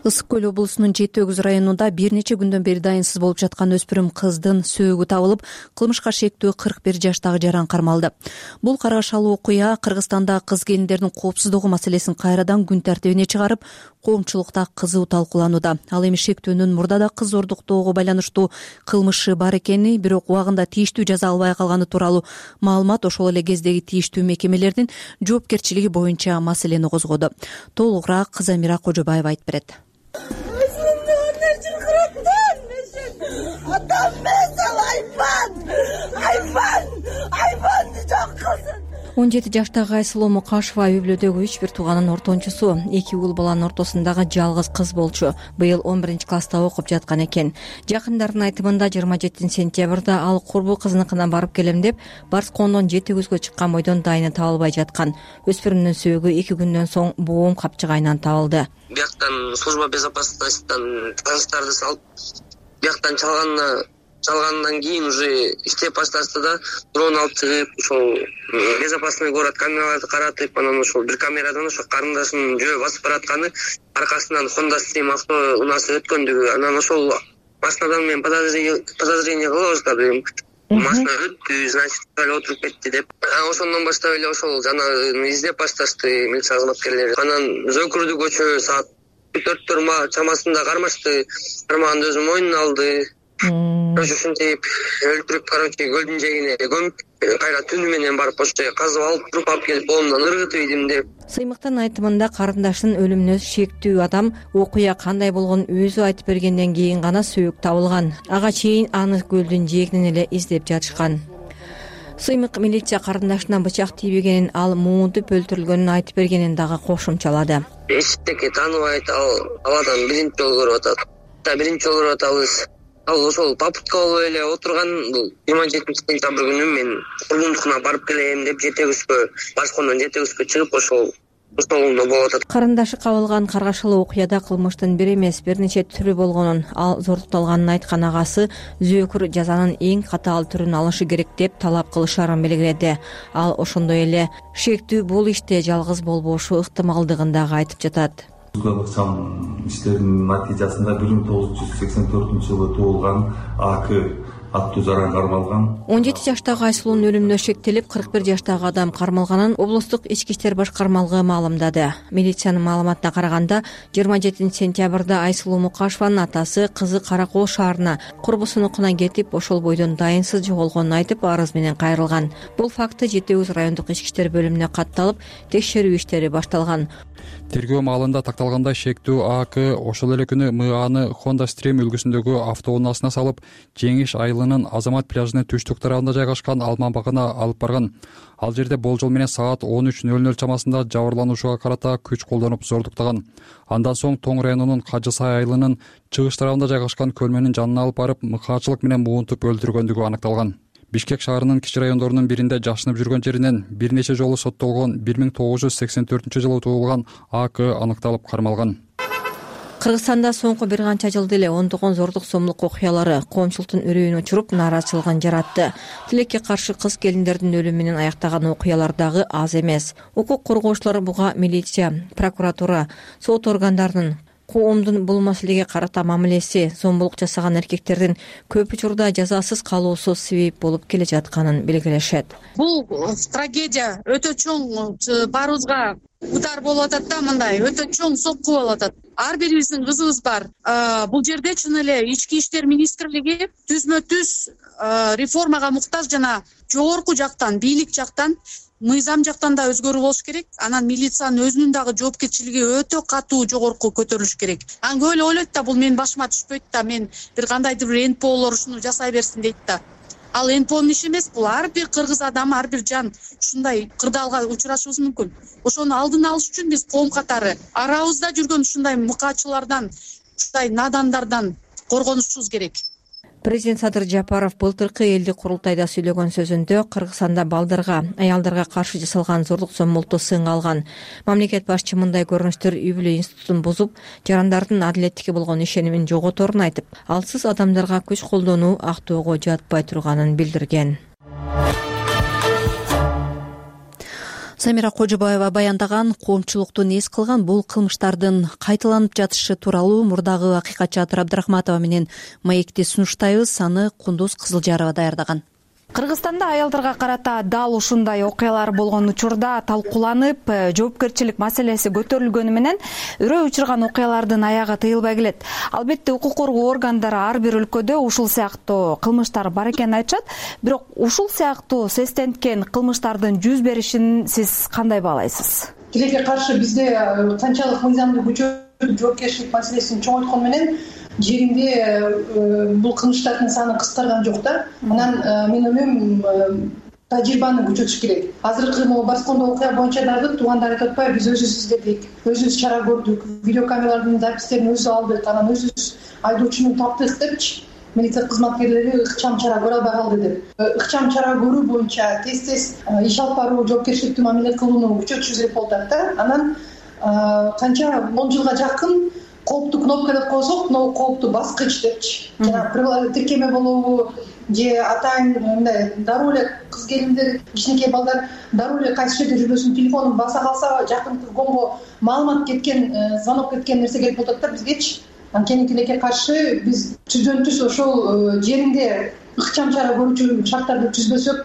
Ысык көл облусунун Жети Өгүз районунда бир нече күндөн бери дайынсыз болуп жаткан өспүрүм кыздын сөөгү табылып, кылмышка шектүү 41 жаштагы жаран кармалды. Бул каргашалуу окуя Кыргызстанда кыз келиндердин коопсуздугу маселесин кайрадан күн тартибине чыгарып, коомчулукта кызуу талкууланууда. Ал эми шектүүнүн мурда да кыз ордуктоого байланыштуу кылмышы бар экени, бирок убагында тийиштүү жаза албай калганы тууралуу маалымат ошол эле кездеги тийиштүү мекемелердин жоопкерчилиги боюнча маселени козгоду. Толугураак Замира Кожобаева айтып берет. 17 жаштагы Айсулуу Мукашева үй бүлөдөгү 3 тууганын ортончусу. 2 уул баланын ортосундагы жалгыз кыз болчу. Быйыл 11-класста окуп жаткан экен. Жакындардын айтымында 27 сентябрда ал курбу кызыныкына барып келем деп Барскондон 7 күзгө чыккан бойдон дайыны табылбай жаткан. Өспүрүмдүн сөөгү 2 күндөн соң боом капчыгайынан табылды. Бияктан служба безопасностьтан таныстарды салып, бияктан чалгандан кийин уже иштеп башташты да, дрон алып чыгып, ошол безопасный город камераларды каратып, анан ошол бир камерадан ошо карындашынын жөө басып баратканы аркасынан Honda Stream авто унаасы өткөндүгү, анан ошол машинадан мен подозрение кыла баштадым. Машина өттү, значит, эле отуруп кетти деп. Ошондон баштап эле ошол жанагы издеп башташты милиция кызматкерлери. Анан Зөкүрдү көчө саат 4 чамасында кармашты. Кармаганды өзү мойнуна алды. Ушинтип өлтүрүп, көлдүн жээгине көмүп, кайра түнү менен барып ошол жерге казып алып, туруп алып келип колумдан ыргытып идим деп. Сыймыктын айтымында карындашынын өлүмүнө шектүү адам окуя кандай болгонун өзү айтып бергенден кийин гана сөөк табылган. Ага чейин аны көлдүн жээгинен эле издеп жатышкан. Сыймык милиция карындашына бычак тийбегенин, ал муунтуп өлтүрүлгөнүн айтып бергенин дагы кошумчалады. Эчтеке тааныбайт, ал адам биринчи жолу көрүп атат. Биринчи жолу көрүп атабыз. Ал ошол попутка болуп эле отурган. Бул 27 сентябрь күнү мен курбумдукуна барып келем деп Барскондон 7 күзгө чыгып ошол столунда болуп атат. Карындашы кабылган каргашылуу окуяда кылмыштын бир эмес, бир нече түрү болгонун, ал зордукталганын айткан агасы Зөкүр жазанын эң катаал түрүн алышы керек деп талап кылышарын белгиледи. Ал ошондой эле шектүү бул иште жалгыз болбошу ыктымалдыгын дагы айтып жатат. Ыкчам иштердин натыйжасында 1984-жылы туулган АК аттуу жаран кармалган. 17 жаштагы Айсулуунун өлүмүнө шектелип, 41 жаштагы адам кармалганын облустук ички иштер башкармалыгы маалымдады. Милициянын маалыматына караганда, 27 сентябрда Айсулуу Мукашеванын атасы кызы Каракол шаарына курбусунукуна кетип, ошол бойдон дайынсыз жоголгонун айтып, арыз менен кайрылган. Бул факты Жети Өз райондук ички иштер бөлүмүнө катталып, текшерүү иштери башталган. Тергөө маалында такталгандай шектүү АК ошол эле күнү МАны Honda Stream үлгүсүндөгү автоунаасына салып, Жеңиш айылынын Азамат пляжынын түштүк тарабында жайгашкан Алман багына алып барган. Ал жерде болжол менен саат 13:00 чамасында жабырлануучуга карата күч колдонуп зордуктаган. Андан соң Тоң районунун Кажы Сай айылынын чыгыш тарабында жайгашкан көлмөнүн жанына алып барып, мыкаачылык менен муунтуп өлтүргөндүгү аныкталган. Бишкек шаарынын кичи райондорунун биринде жашынып жүргөн жеринен бир нече жолу соттолгон 1984-жылы туулган АК аныкталып кармалган. Кыргызстанда соңку бир канча жылда эле ондогон зордук сомдук окуялары коомчулуктун үрөйүн учуруп, нааразычылыгын жаратты. Тилекке каршы кыз келиндердин өлүмү менен аяктаган окуялар дагы аз эмес. Укук коргоочулар буга милиция, прокуратура, сот органдарынын коомдун бул маселеге карата мамилеси, зомбулук жасаган эркектердин көп учурда жазасыз калуусу себеп болуп келе жатканын белгилешет. Бул трагедия өтө чоң, баарыбызга удар болуп атат да, мындай өтө чоң сокку болуп атат. Ар бирибиздин кызыбыз бар. Бул жерде чын эле ички иштер министрлиги түзмө-түз реформага муктаж, жана жогорку жактан, бийлик жактан, мыйзам жактан да өзгөрүү болуш керек. Анан милициянын өзүнүн дагы жоопкерчилиги өтө катуу жогорку көтөрүлүш керек. Анан көп эле ойлойт да, бул менин башыма түшпөйт да, мен бир кандайдыр бир НПОлор ушуну жасай берсин дейт да. Ал НПОнун иши эмес, бул ар бир кыргыз адам, ар бир жан ушундай кырдаалга учурашыбыз мүмкүн. Ошону алдын алыш үчүн биз коом катары арабызда жүргөн ушундай мыкаачылардан, ушундай надандардан коргонушубуз керек. Президент Садыр Жапаров былтыркы элдик курултайда сүйлөгөн сөзүндө Кыргызстанда балдарга, аялдарга каршы жасалган зордук зомбулукту сынга алган. Мамлекет башчы мындай көрүнүштөр үй бүлө институтун бузуп, жарандардын адилеттикке болгон ишенимин жоготорун айтып, алсыз адамдарга күч колдонуу актоого жатпай турганын билдирген. Самира Кожобаева баяндаган, коомчулуктун эс кылган бул кылмыштардын кайталанып жатышы тууралуу мурдагы акыйкатчы Атыр Абдрахматова менен маекти сунуштайбыз. Аны Кундуз Кызылжарова даярдаган. Кыргызстанда аялдарга карата дал ушундай окуялар болгон учурда талкууланып, жоопкерчилик маселеси көтөрүлгөнү менен үрөө учурган окуялардын аягы тыйылбай келет. Албетте укук коргоо органдары ар бир өлкөдө ушул сыяктуу кылмыштар бар экенин айтышат, бирок ушул сыяктуу сестенткен кылмыштардын жүз беришин сиз кандай баалайсыз? Тилекке каршы бизде канчалык мыйзамды күчөтүп, жоопкерчилик маселесин чоңойткон менен жеринде бул кылмыштардын саны кыскарган жок да. Анан мен ойлойм, тажрыйбаны күчөтүш керек. Азыркы могу баскондо окуя боюнча дагы туугандар айтып атпайбы, биз өзүбүз издедик, өзүбүз чара көрдүк, видеокамералардын запистерин өзүбүз алдык, анан өзүбүз айдоочуну таптык депчи, милиция кызматкерлери ыкчам чара көрө албай калды деп. Ыкчам чара көрүү боюнча тез иш алып баруу, жоопкерчиликтүү мамиле кылууну күчөтүшүбүз керек болуп атат да. Анан канча 10 жылга жакын кооптуу кнопка деп койсок, кооптуу баскыч депчи, жана тиркеме болобу же атайын мындай дароо эле кыз келиндер, кичинекей балдар дароо эле кайсы жерде жүрбөсүн, телефонун баса калса жакынкы гомго маалымат кеткен, звонок кеткен нерсе керек болуп атат да бизгечи. Анткени тилекке каршы биз түздөн түз ошол жеринде ыкчам чара көрүүчү шарттарды түзбөсөк,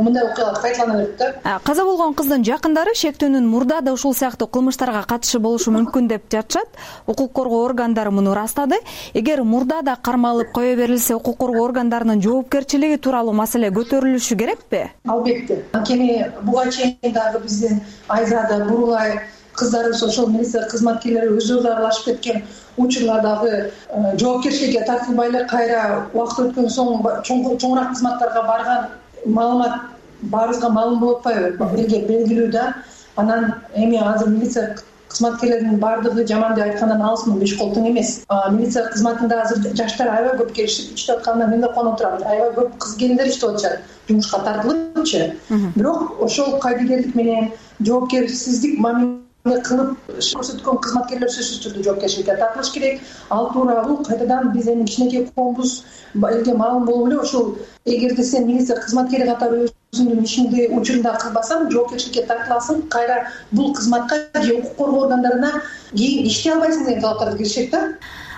мындай окуялар кайталана берет да. Каза болгон кыздын жакындары шектөөнүн мурда да ушул сыяктуу кылмыштарга катышы болушу мүмкүн деп жатышат. Укук коргоо органдары муну ырастады. Эгер мурда да кармалып кое берилсе, укук коргоо органдарынын жоопкерчилиги тууралуу маселе көтөрүлүшү керекпи? Албетте. Анткени буга чейин дагы биздин Айзада, Бурулай кыздарыбыз ошол милиция кызматкерлери өздөрү аралашып кеткен учурлардагы жоопкерчиликке тартылбай эле кайра убакыт өткөн соң чоңураак кызматтарга барган маалымат баарыбызга маалым болуп атпайбы, белгилүү да. Анан эми азыр милиция кызматкерлеринин баардыгы жаман деп айткандан алысмын, беш кол тең эмес. Милиция кызматында азыр жаштар аябай көп келишип иштеп атканына мен да кубанып турам. Аябай көп кыз келиндер иштеп атышат, жумушка тартылыпчы. Бирок ошол кайдыгерлик менен жоопкерсиздик мамиле кылып көрсөткөн кызматкерлер сөзсүз түрдө жоопкерчиликке тартылыш керек. Ал тууралуу кайтадан биз эми кичинекей коомбуз элге маалым болуп эле ошол эгерде сен милиция кызматкери катары өзүңдүн ишиңди учурунда кылбасаң, жоопкерчиликке тартыласың, кайра бул кызматка же укук коргоо органдарына кийин иштей албайсың деген талаптарды киришет да.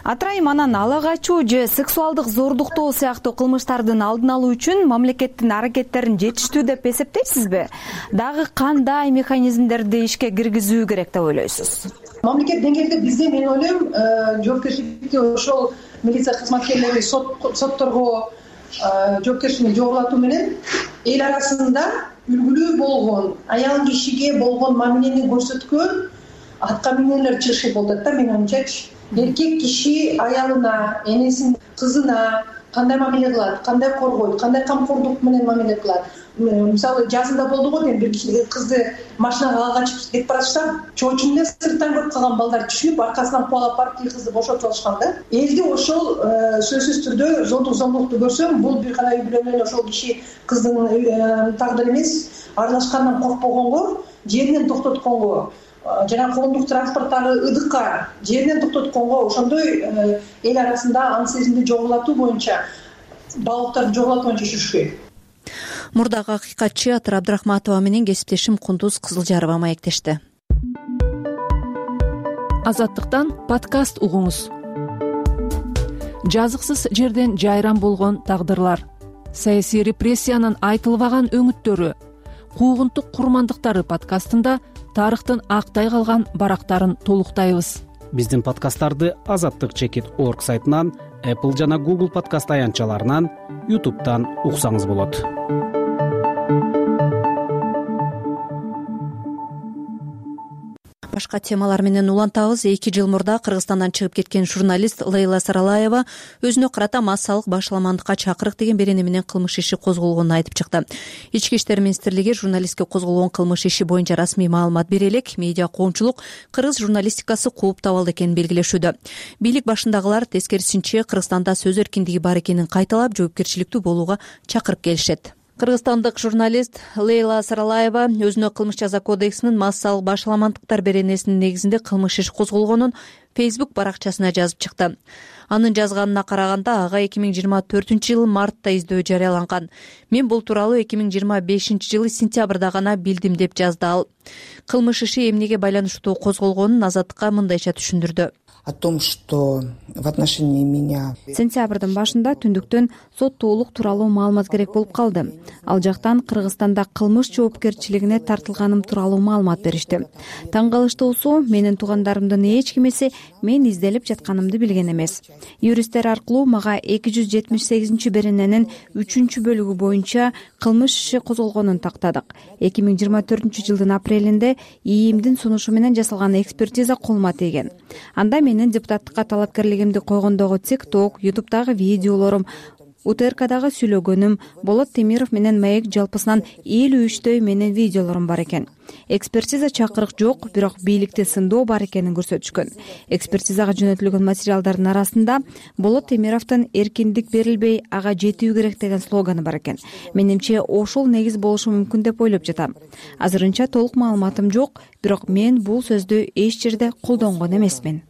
Атырайым, анан ала качуу же сексуалдык зордуктоо сыяктуу кылмыштардын алдын алуу үчүн мамлекеттин аракеттерин жетиштүү деп эсептейсизби? Дагы кандай механизмдерди ишке киргизүү керек деп ойлойсуз? Мамлекет деңгээлде бизде мен ойлойм, жоопкерчиликти ошол милиция кызматкерлери сотторго жоопкерчиликти жогулатуу менен эл арасында үлгүлүү болгон, аял кишиге болгон мамилени көрсөткөн атка минерлер чыгыш болуп атат да, менин оюмчачы. Эркек киши аялына, энесин, кызына кандай мамиле кылат, кандай коргойт, кандай камкордук менен мамиле кылат. Мисалы жазында болду го дейм, бир киши кызды машинага ала качып кетип баратса, чоочун эле сырттан көрүп калган балдар түшүнүп, аркасынан кубалап барып тиги кызды бошотуп алышкан да. Элди ошол сөзсүз түрдө зомдукту көрсөм, бул бир гана үй бүлө ошол киши кыздын тагдыры эмес, аралашкандан коркпогонго, жеринен токтотконго, жана коомдук транспорттагы ыдыкка жеринен токтотконго, ошондой эл арасында аң сезимди жогулатуу боюнча, балыктарды жогулатуу боюнча иштеш керек. Мурдагы акыйкатчы Атыр Абдрахматова менен кесиптешим Кундуз Кызылжарова маектешти. Азаттыктан подкаст угуңуз. Жазыксыз жерден жайран болгон тагдырлар, саясий репрессиянын айтылбаган өңүттөрү, куугунтук курмандыктары подкастында тарыхтын актай калган барактарын толуктайбыз. Биздин подкасттарды azattik.org сайтынан, Apple жана Google подкаст аянтчаларынан, YouTube'дан уксаңыз болот. Башка темалар менен улантабыз. 2 жыл мурда Кыргызстандан чыгып кеткен журналист Лейла Саралаева өзүнө карата массалык башаламандыкка чакырык деген берени менен кылмыш иши козголгонун айтып чыкты. Ички иштер министрлиги журналистке козголгон кылмыш иши боюнча расмий маалымат бере элек, медиа коомчулук кыргыз журналистикасы кууп табалды экенин белгилешүүдө. Бийлик башындагылар тескерисинче Кыргызстанда сөз эркиндиги бар экенин кайталап, жоопкерчиликтүү болууга чакырып келишет. Кыргызстандык журналист Лейла Саралаева өзүнө кылмыш жаза кодексинин массалык башаламандыктар беренесинин негизинде кылмыш иш козголгонун Facebook баракчасына жазып чыкты. Анын жазганына караганда ага 2024-жылы мартта издөө жарыяланган. Мен бул тууралуу 2025-жылы сентябрда гана билдим деп жазды ал. Кылмыш иши эмнеге байланыштуу козголгонун Азаттыкка мындайча түшүндүрдү. О том, что в отношении меня... Сентябрдын башында түндүктөн соттуулук тууралуу маалымат керек болуп калды. Ал жактан Кыргызстанда кылмыш жоопкерчилигине тартылганым тууралуу маалымат беришти. Таң калыштуусу, менин туугандарымдын эч кимиси мен изделип жатканымды билген эмес. Юристтер аркылуу мага 278 берененин 3-бөлүгү боюнча кылмыш иши козголгонун тактадык. 2024-жылдын апрелинде ИИМдин сунушу менен жасалган экспертиза колума тийген. Анда менин депутаттыкка талапкерлигимди койгондогу TikTok, YouTube'дагы видеолорум УТРКдагы сүйлөгөнүм Болот Темиров менен Маек жалпысынан 53 менен видеолорум бар экен. Экспертиза чакырык жок, бирок бийликти сындоо бар экенин көрсөтүшкөн. Экспертизага жөнөтүлгөн материалдардын арасында Болот Темировдун эркиндик берилбей, ага жетүү керек деген слоганы бар экен. Менимче ошол негиз болушу мүмкүн деп ойлоп жатам. Азырынча толук маалыматым жок, бирок мен бул сөздү эч жерде колдонгон эмесмин.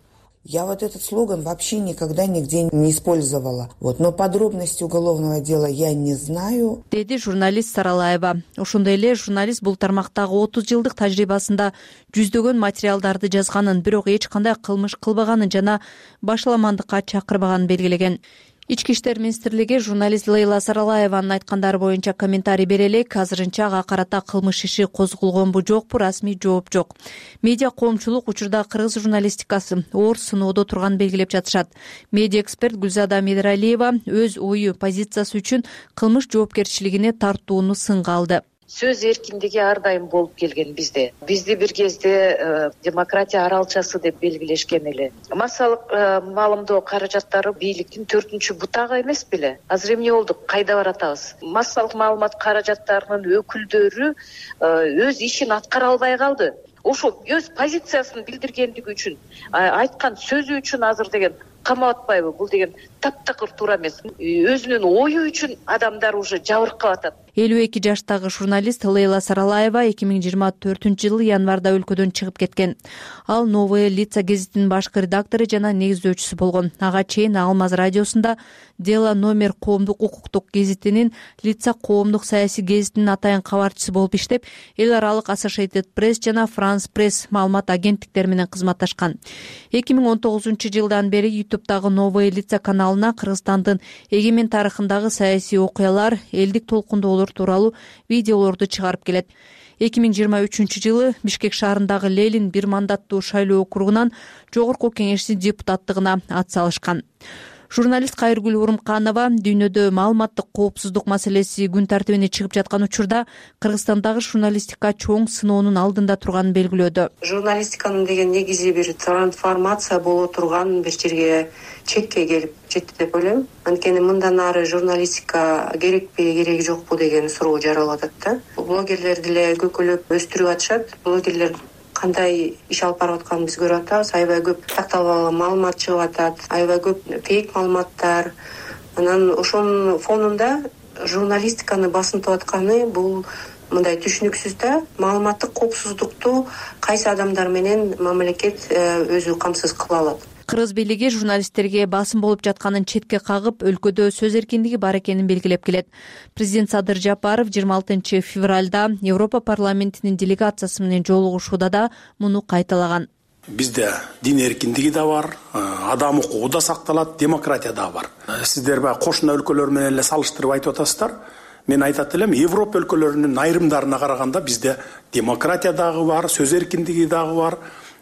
Я вот этот слоган вообще никогда нигде не использовала. Но подробности уголовного дела я не знаю. Деди журналист Саралаева. Ошондой эле журналист бул тармактагы 30 жылдык тажрыйбасында жүздөгөн материалдарды жазганын, бирок эч кандай кылмыш кылбаганын жана башаламандыкка чакырбаганын белгилеген. Ички иштер министрлиги журналист Лейла Саралаеванын айткандары боюнча комментарий бере элек. Азырынча ага карата кылмыш иши козголгонбу жокпу, расмий жооп жок. Медиа коомчулук учурда кыргыз журналистикасы оор сыноодо турганын белгилеп жатышат. Медиа эксперт Гүлзада Медералиева өз ою, позициясы үчүн кылмыш жоопкерчилигине тартууну сынга алды. Сөз эркиндиги ар дайым болуп келген бизде. Бизди бир кезде демократия аралчасы деп белгилешкен эле. Массалык маалымдоо каражаттары бийликтин 4-чү бутагы эмес беле? Азыр эмне болду? Кайда баратабыз? Массалык маалымат каражаттарынын өкүлдөрү өз ишин аткара албай калды. Ошо өз позициясын билдиргендиги үчүн, айткан сөзү үчүн азыр деген камап атпайбы? Бул деген таптакыр туура эмес. Өзүнүн ою үчүн адамдар уже жабыркап атат. 52 жаштагы журналист Лейла Саралаева 2024-жылы январда өлкөдөн чыгып кеткен. Ал Новые лица гезитинин башкы редактору жана негиздөөчүсү болгон. Ага чейин Алмаз радиосунда Дело номер коомдук укуктук гезитинин, Лица коомдук саясий гезитинин атайын кабарчысы болуп иштеп, эл аралык Associated Press жана France Press маалымат агенттиктери менен кызматташкан. 2019-жылдан бери YouTube'дагы Новые лица каналына Кыргызстандын эгемен тарыхындагы саясий окуялар, элдик толкундоолор тууралуу видеолорду чыгарып келет. 2023-жылы Бишкек шаарындагы Ленин бир мандаттуу шайлоо округунан жогорку кеңештин депутаттыгына ат салышкан. Журналист Кайыргүл Урумканова дүйнөдө маалыматтык коопсуздук маселеси күн тартибине чыгып жаткан учурда Кыргызстандагы журналистика чоң сыноонун алдында турганын белгилөөдө. Журналистиканын деген негизи бир трансформация боло турган бир жерге чекке келип жетти деп ойлойм. Анткени мындан ары журналистика керекпи, кереги жокпу деген суроо жаралып атат да. Блогерлер деле көкөлөп өстүрүп атышат. Блогерлер кандай иш алып барып атканын биз көрүп атабыз. Аябай көп такталбаган маалымат чыгып атат, аябай көп фейк маалыматтар. Анан ошонун фонунда журналистиканы басынтып атканы бул мындай түшүнүксүз да. Маалыматтык коопсуздукту кайсы адамдар менен мамлекет өзү камсыз кыла алат. Кыргыз бийлиги журналисттерге басым болуп жатканын четке кагып, өлкөдө сөз эркиндиги бар экенин белгилеп келет. Президент Садыр Жапаров 26 февралда Европа парламентинин делегациясы менен жолугушууда да муну кайталаган. Бизде дин эркиндиги да бар, адам укугу да сакталат, демократия да бар. Сиздер баягы кошуна өлкөлөр менен эле салыштырып айтып атасыздар. Мен айтат элем, Европа өлкөлөрүнүн айрымдарына караганда бизде демократия дагы бар, сөз эркиндиги дагы бар.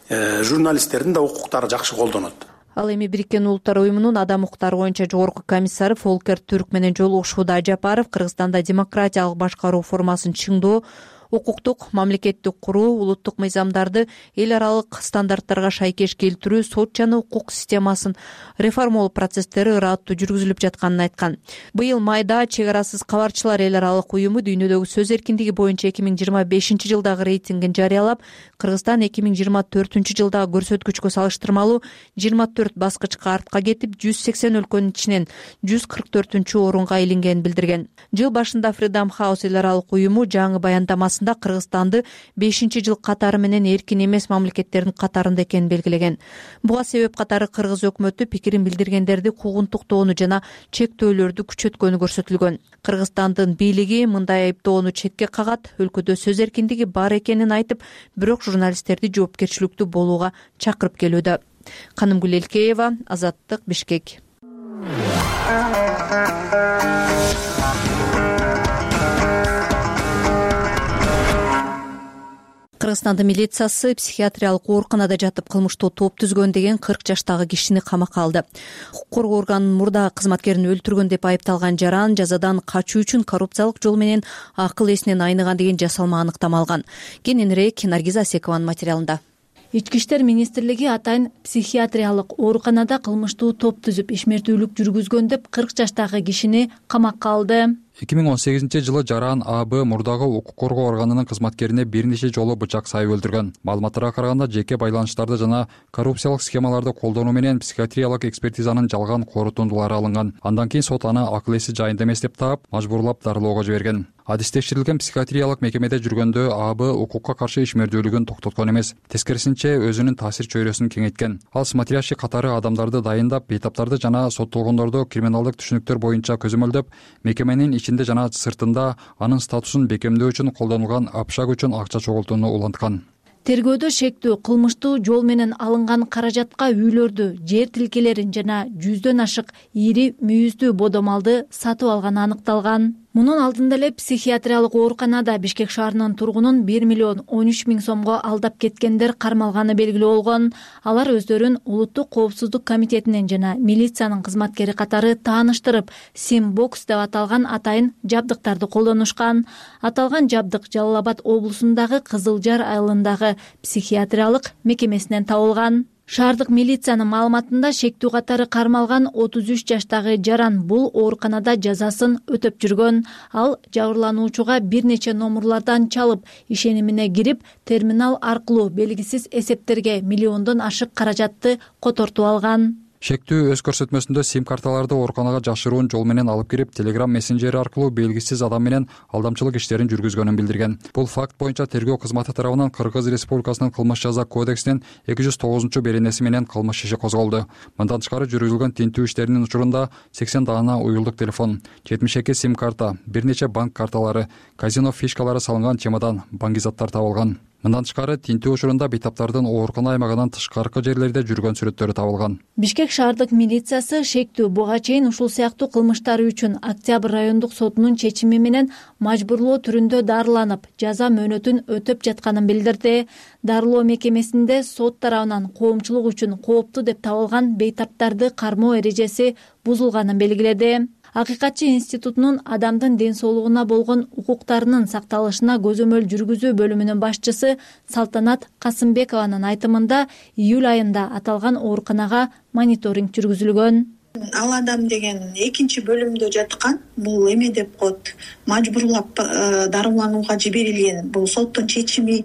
Журналисттердин да укуктары жакшы колдонот. Ал эми Бириккен Улуттар уюмунун адам укуктары боюнча жогорку комиссары Фолкер Түрк менен жолугушууда. Жапаров Кыргызстанда демократиялык башкаруу формасын чыңдоо, укуктук мамлекетти куруу, улуттук мыйзамдарды эл аралык стандарттарга шайкеш келтирүү, сот жана укук системасын реформалоо процесстери ыраттуу жүргүзүлүп жатканын айткан. Быйыл майда Чек арасыз кабарчылар эл аралык уюму дүйнөдөгү сөз эркиндиги боюнча 2025-жылдагы рейтингин жарыялап, Кыргызстан 2024-жылдагы көрсөткүчкө салыштырмалуу 24 баскычка артка кетип, 180 өлкөнүн ичинен 144-орунга илингенин билдирген. Жыл башында Freedom House эл аралык уюму жаңы баяндамасында Кыргызстанды 5-жыл катары менен эркин эмес мамлекеттердин катарында экенин белгилеген. Буга себеп катары Кыргыз өкмөтү пикирин билдиргендерди куугунтуктоону жана чектөөлөрдү күчөткөнү көрсөтүлгөн. Кыргызстандын бийлиги мындай айыптоону четке кагат, өлкөдө сөз эркиндиги бар экенин айтып, бирок журналисттерди жоопкерчиликтүү болууга чакырып келүүдө. Канымгүл Элкеева, Азаттык, Бишкек. Кыргызстандын милициясы психиатриялык ооруканада жатып кылмыштуу топ түзгөн деген 40 жаштагы кишини камакка алды. Укук коргоо органынын мурдагы кызматкерин өлтүргөн деп айыпталган жаран жазадан качуу үчүн коррупциялык жол менен акыл эсинен айныган деген жасалма аныктама алган. Кененирээк Наргиз Асекованын материалында. Ички иштер министрлиги атайын психиатриялык ооруканада кылмыштуу топ түзүп ишмердүүлүк жүргүзгөн деп 40 жаштагы кишини камакка алды. 2018-жылы жаран АБ мурдагы укук коргоо органынын кызматкерине бир нече жолу бычак сайып өлтүргөн. Маалыматтарга караганда жеке байланыштарды жана коррупциялык схемаларды колдонуу менен психиатриялык экспертизанын жалган корутундулары алынган. Андан кийин сот аны акыл эси жайында эмес деп таап, мажбурлап дарылоого жиберген. Адис текшерилген психиатриялык мекемеде жүргөндө АБ укукка каршы ишмердүүлүгүн токтоткон эмес, тескерисинче өзүнүн таасир чөйрөсүн кеңейткен. Ал смотрящий катары адамдарды дайындап, бейтаптарды жана соттолгондорду криминалдык түшүнүктөр боюнча көзөмөлдөп, мекеменин ичинде жана сыртында анын статусун бекемдөө үчүн колдонулган общак үчүн акча чогултууну уланткан. Тергөөдө шектүү кылмыштуу жол менен алынган каражатка үйлөрдү, жер тилкелерин жана 100дөн ашык ири мүйүздүү бодомалды сатып алганы аныкталган. Мунун алдында эле психиатриялык ооруканада Бишкек шаарынын тургунун 1 миллион 13 миң сомго алдап кеткендер кармалганы белгилүү болгон. Алар өздөрүн Улуттук коопсуздук комитетинин жана милициянын кызматкери катары тааныштырып, Симбокс деп аталган атайын жабдыктарды колдонушкан. Аталган жабдык Жалал Абад облусундагы Кызыл Жар айылындагы психиатриялык мекемесинен табылган. Шаардык милициянын маалыматында шектүү катары кармалган 33 жаштагы жаран бул ооруканада жазасын өтөп жүргөн. Ал жабырлануучуга бир нече номурлардан чалып, ишенимине кирип, терминал аркылуу белгисиз эсептерге миллиондон ашык каражатты котортуп алган. Шектүү өз көрсөтмөсүндө сим-карталарды ооруканага жашыруун жол менен алып кирип, Telegram мессенджери аркылуу белгисиз адам менен алдамчылык иштерин жүргүзгөнүн билдирген. Бул факт боюнча тергөө кызматы тарабынан Кыргыз Республикасынын кылмыш жаза кодексинин 209-беренеси менен кылмыш иши козголду. Мындан тышкары жүргүзүлгөн тинтүү иштеринин учурунда 80 даана уюлдук телефон, 72 сим-карта, бир нече банк карталары, казино фишкалары салынган чемодан, баңгизаттар табылган. Мындан тышкары тинтүү учурунда бейтаптардын оорукана аймагынан тышкаркы жерлерде жүргөн сүрөттөрү табылган. Бишкек шаардык милициясы шектүү буга чейин ушул сыяктуу кылмыштары үчүн Октябрь райондук сотунун чечими менен мажбурлоо түрүндө дарыланып, жаза мөөнөтүн өтөп жатканын билдирди. Дарылоо мекемесинде сот тарабынан коомчулук үчүн кооптуу деп табылган бейтаптарды кармоо эрежеси бузулганын белгиледи. Акыйкатчы институтунун адамдын ден соолугуна болгон укуктарынын сакталышына көзөмөл жүргүзүү бөлүмүнүн башчысы Салтанат Касымбекованын айтымында июль айында аталган ооруканага мониторинг жүргүзүлгөн. Ал адам деген экинчи бөлүмдө жаткан, бул эме деп коет, мажбурлап дарыланууга жиберилген. Бул соттун чечими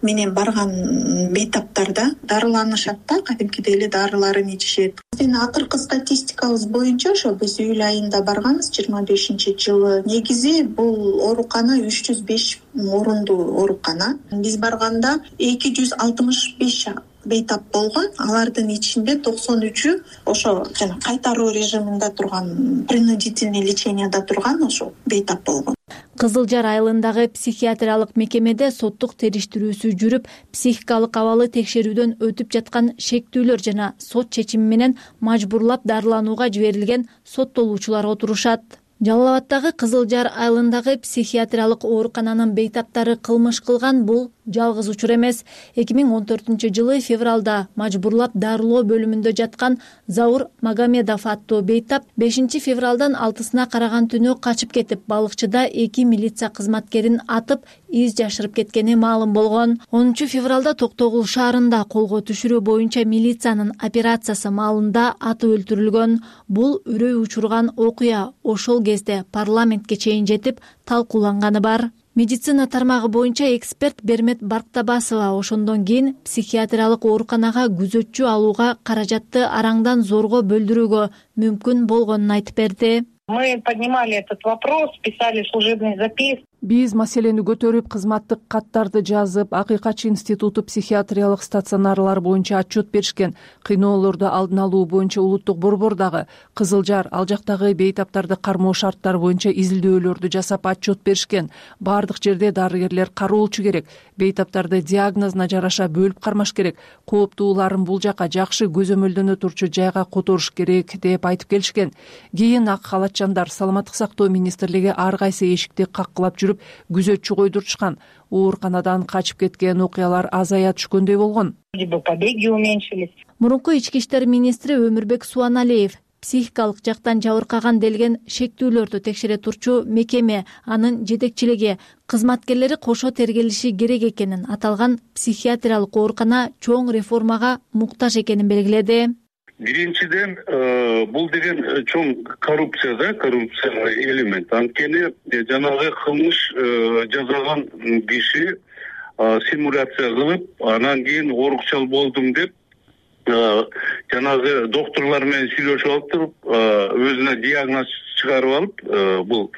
менен барган бейтаптарда дарыланышат да, кадимкидей эле дарыларын ичишет. Биздин акыркы статистикабыз боюнча ошо биз июль айында барганбыз 25-жылы. Негизи бул оорукана 305 орундуу оорукана. Биз барганда 265 бейтап болгон. Алардын ичинде 93-ү ошо жана кайтаруу режиминде турган, принудительный леченияда турган ошо бейтап болгон. Кызыл Жар айылындагы психиатриялык мекемеде соттук териштирүүсү жүрүп, психикалык абалы текшерүүдөн өтүп жаткан шектүүлөр жана сот чечими менен мажбурлап дарыланууга жиберилген соттолуучулар отурушат. Жалал Абаддагы Кызыл Жар айылындагы психиатриялык оорукананын бейтаптары кылмыш кылган бул жалгыз учур эмес. 2014-жылы февралда мажбурлап дарылоо бөлүмүндө жаткан Заур Магомедов аттуу бейтап 5-февралдан 6-сына караган түнү качып кетип, балыкчыда 2 милиция кызматкерин атып, из жашырып кеткени маалым болгон. 10-февралда Токтогул шаарында колго түшүрүү боюнча милициянын операциясы маалында атып өлтүрүлгөн. Бул үрөй учурган окуя ошол кезде парламентке чейин жетип талкууланганы бар. Медицина тармагы боюнча эксперт Бермет Барктабасова ошондон кийин психиатриялык ооруканага күзөтчү алууга каражатты араңдан зорго бөлдүрүүгө мүмкүн болгонун айтып берди. Мы поднимали этот вопрос, писали служебный запис. Биз маселени көтөрүп, кызматтык каттарды жазып, Акыйкатчы институту психиатриялык стационарлар боюнча отчет беришкен. Кыйноолорду алдын алуу боюнча улуттук борбордагы Кызыл Жар ал жактагы бейтаптарды кармоо шарттары боюнча изилдөөлөрдү жасап отчет беришкен. Бардык жерде дарыгерлер кароолчу керек. Бейтаптарды диагнозуна жараша бөлүп кармаш керек. Кооптууларын бул жака жакшы көзөмөлдөнө турчу жайга которуш керек деп айтып келишкен. Кийин ак халатчандар Саламаттык сактоо министрлиги ар кайсы эшикти каккылап жүрүп күзөтчү койдурушкан. Ооруканадан качып кеткен окуялар азая түшкөндөй болгон. Побеги уменьшились. Мурунку ички иштер министри Өмүрбек Суаналиев психикалык жактан жабыркаган делген шектүүлөрдү текшере турчу мекеме анын жетекчилиги кызматкерлери кошо тергелиши керек экенин, аталган психиатриялык оорукана чоң реформага муктаж экенин белгиледи. Биринчиден, бул деген чоң коррупция элемент. Анткени жанагы кылмыш жасаган киши симуляция кылып, анан кийин оорукчал болдум деп жанагы доктурлар менен сүйлөшүп алып туруп, өзүнө диагноз чыгарып алып, бул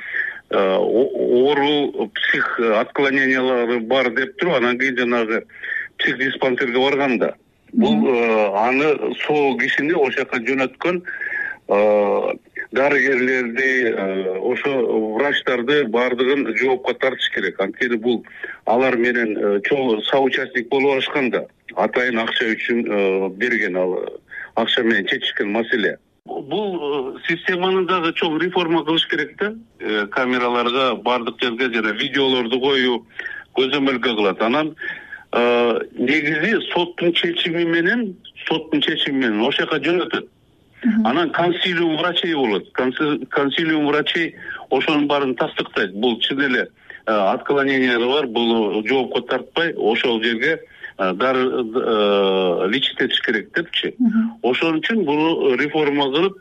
оору псих отклонениялары бар деп туруп, анан кийин жанагы психдиспансерге барганда бул аны сол кишини ошол жака жөнөткөн дарыгерлерди, ошо врачтарды баардыгын жоопко тартыш керек. Анткени бул алар менен чоң соучастник болуп алышканда, атайын акча үчүн берген, ал акча менен чечишкен маселе. Бул системаны дагы чоң реформа кылыш керек да. Камераларга баардык жерге жана видеолорду коюу көзөмөлгө кылат. Анан негизи соттун чечими менен ошол жака жөнөтөт. Анан консилиум врачей болот. Консилиум врачей ошонун баарын тастыктайт. Бул чын эле отклонениялары бар, бул жоопко тартпай ошол жерге лечить этиш керек депчи. Ошон үчүн буну реформа кылып,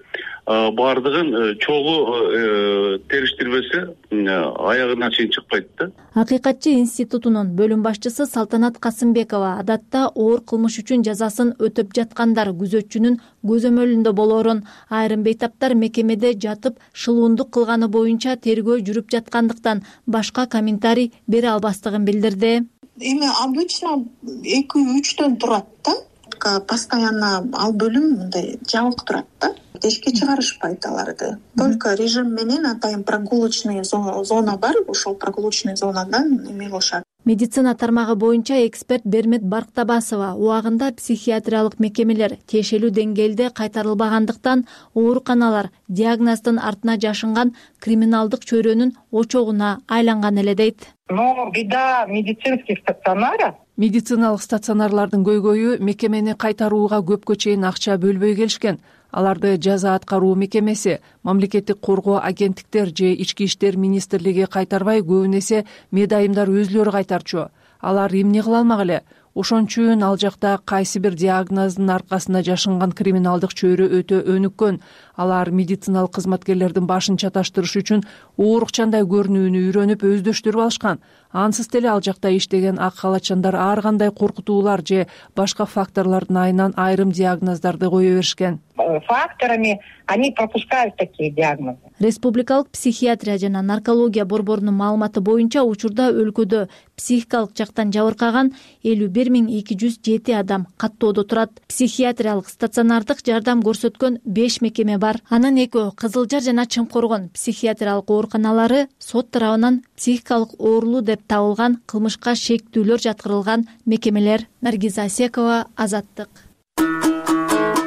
баардыгын чогуу териштирбесе аягына чейин чыкпайт да. Акыйкатчы институтунун бөлүм башчысы Салтанат Касымбекова адатта оор кылмыш үчүн жазасын өтөп жаткандар күзөтчүнүн көзөмөлүндө болоорун, айрым бейтаптар мекемеде жатып шылуундук кылганы боюнча тергөө жүрүп жаткандыктан башка комментарий бере албастыгын билдирди. Эми обычно 2-3төн турат да. Постоянно ал бөлүм мындай жабык турат да. Эшикке чыгарышпайт аларды. Только режим менен атайын прогулочный зона бар, ошол прогулочный зонадан эме кылышат. Медицина тармагы боюнча эксперт Бермет Барктабасова убагында психиатриялык мекемелер тиешелүү деңгээлде кайтарылбагандыктан ооруканалар диагноздун артына жашынган криминалдык чөйрөнүн очогуна айланган эле дейт. Но беда медицинских стационаров. Медициналык стационарлардын көйгөйү мекемени кайтарууга көпкө чейин акча бөлбөй келишкен. Аларды жаза аткаруу мекемеси, мамлекеттик коргоо агенттиктер же ички иштер министрлиги кайтарбай, көбүн эсе медайымдар өзүлөрү кайтарчу. Алар эмне кыла алмак эле? Ошон үчүн ал жакта кайсы бир диагноздун аркасында жашынган криминалдык чөйрө өтө өнүккөн. Алар медициналык кызматкерлердин башын чаташтырыш үчүн оорукчандай көрүнүүнү үйрөнүп өздөштүрүп алышкан. Ансыз деле ал жакта иштеген ак халатчандар ар кандай коркутуулар же башка факторлордун айынан айрым диагноздарды кое беришкен. Факторами они пропускают такие диагнозы. Республикалык психиатрия жана наркология борборунун маалыматы боюнча учурда өлкөдө психикалык жактан жабыркаган 51.207 адам каттоодо турат. Психиатриялык стационардык жардам көрсөткөн 5 мекеме бар. Анын 2 Кызыл Жар жана Чымкоргон психиатриялык ооруканалары сот тарабынан психикалык оорулуу деп табылган кылмышка шектүүлөр жаткырылган мекемелер. Наргиза Асекова, Азаттык.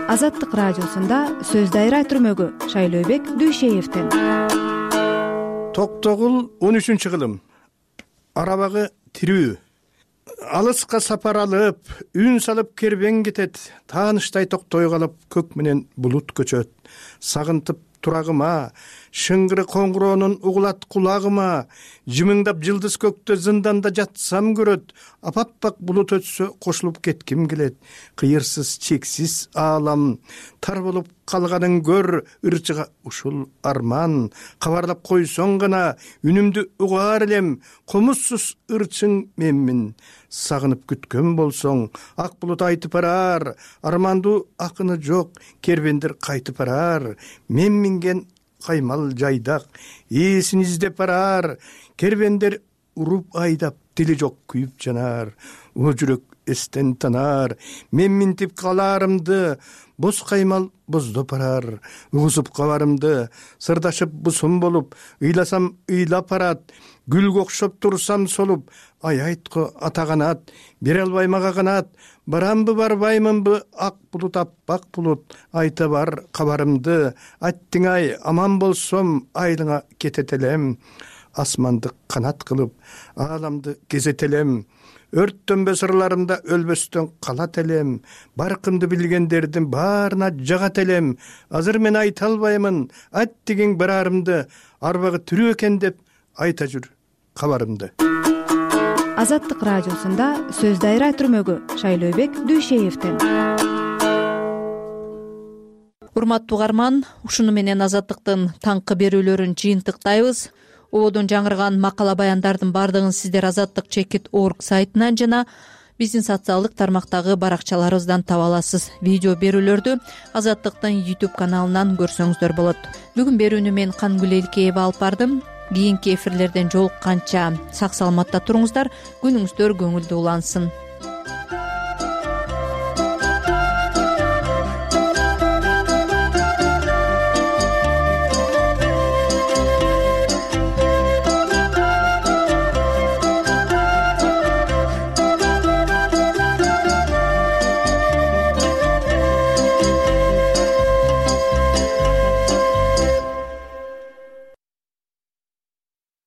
Азаттык радиосунда сөз дайра түрмөгү Шайлообек Дүйшеевден. Токтогул 13 кылым. Арабагы тирүү. Алыска сапар алып, үн салып кербен кетет. Тааныштай токтой калып, көк менен булут көчөт. Сагынтып турагыма, шыңгыры коңгуроонун угулат кулагыма. Жымыңдап жылдыз көктө зынданда жатсам көрөт. Апаппак булут өтсө кошулуп кетким келет. Кыйырсыз чексиз аалам, тар болуп калганын көр, ырчыга ушул арман. Кабарлап койсоң гана үнүмдү угаар элем, комузсуз ырчың менмин. Сагынып күткөн болсоң, ак булут айтып барар, армандуу акыны жок, кербендер кайтып барар. Мен минген каймал жайдак, ээсин издеп барар, кербендер уруп айдап, дили жок күйүп жанар. О жүрөк эстен танар, мен минтип каларымды, боз каймал боздоп барар. Угузуп кабарымды, сырдашып бусум болуп, ыйласам ыйлап барат. Гүлгө окшоп турсам солуп, ай айтко ата канат, бере албай мага канат. Барамбы барбаймынбы, ак булут аппак булут, айта бар кабарымды. Айттың ай, аман болсом, айлыңа кетет элем. Асманды канат кылып, ааламды кезет элем. өрттөнбө сырларымда өлбөстөн калат элем, баркымды билгендердин баарына жагат элем. Азыр мен айта албаймын ат деген барарымды, арбагы тирүү экен деп айта жүр кабарымды. Азаттык радиосунда сөз дайра түрмөгү Шайлообек Дүйшеевден. Урматтуу угарман, ушуну менен Азаттыктын таңкы берүүлөрүн жыйынтыктайбыз. Ободон жаңырган макала баяндардын бардыгын сиздер azattik.org сайтынан жана биздин социалдык тармактагы баракчаларыбыздан таба аласыз. Видео берүүлөрдү Азаттыктын YouTube каналынан көрсөңүздөр болот. Бүгүн берүүнү мен Кангүл Элкеева алып бардым. Кийинки эфирлерден жолукканча сак саламатта туруңуздар, күнүңүздөр көңүлдүү улансын.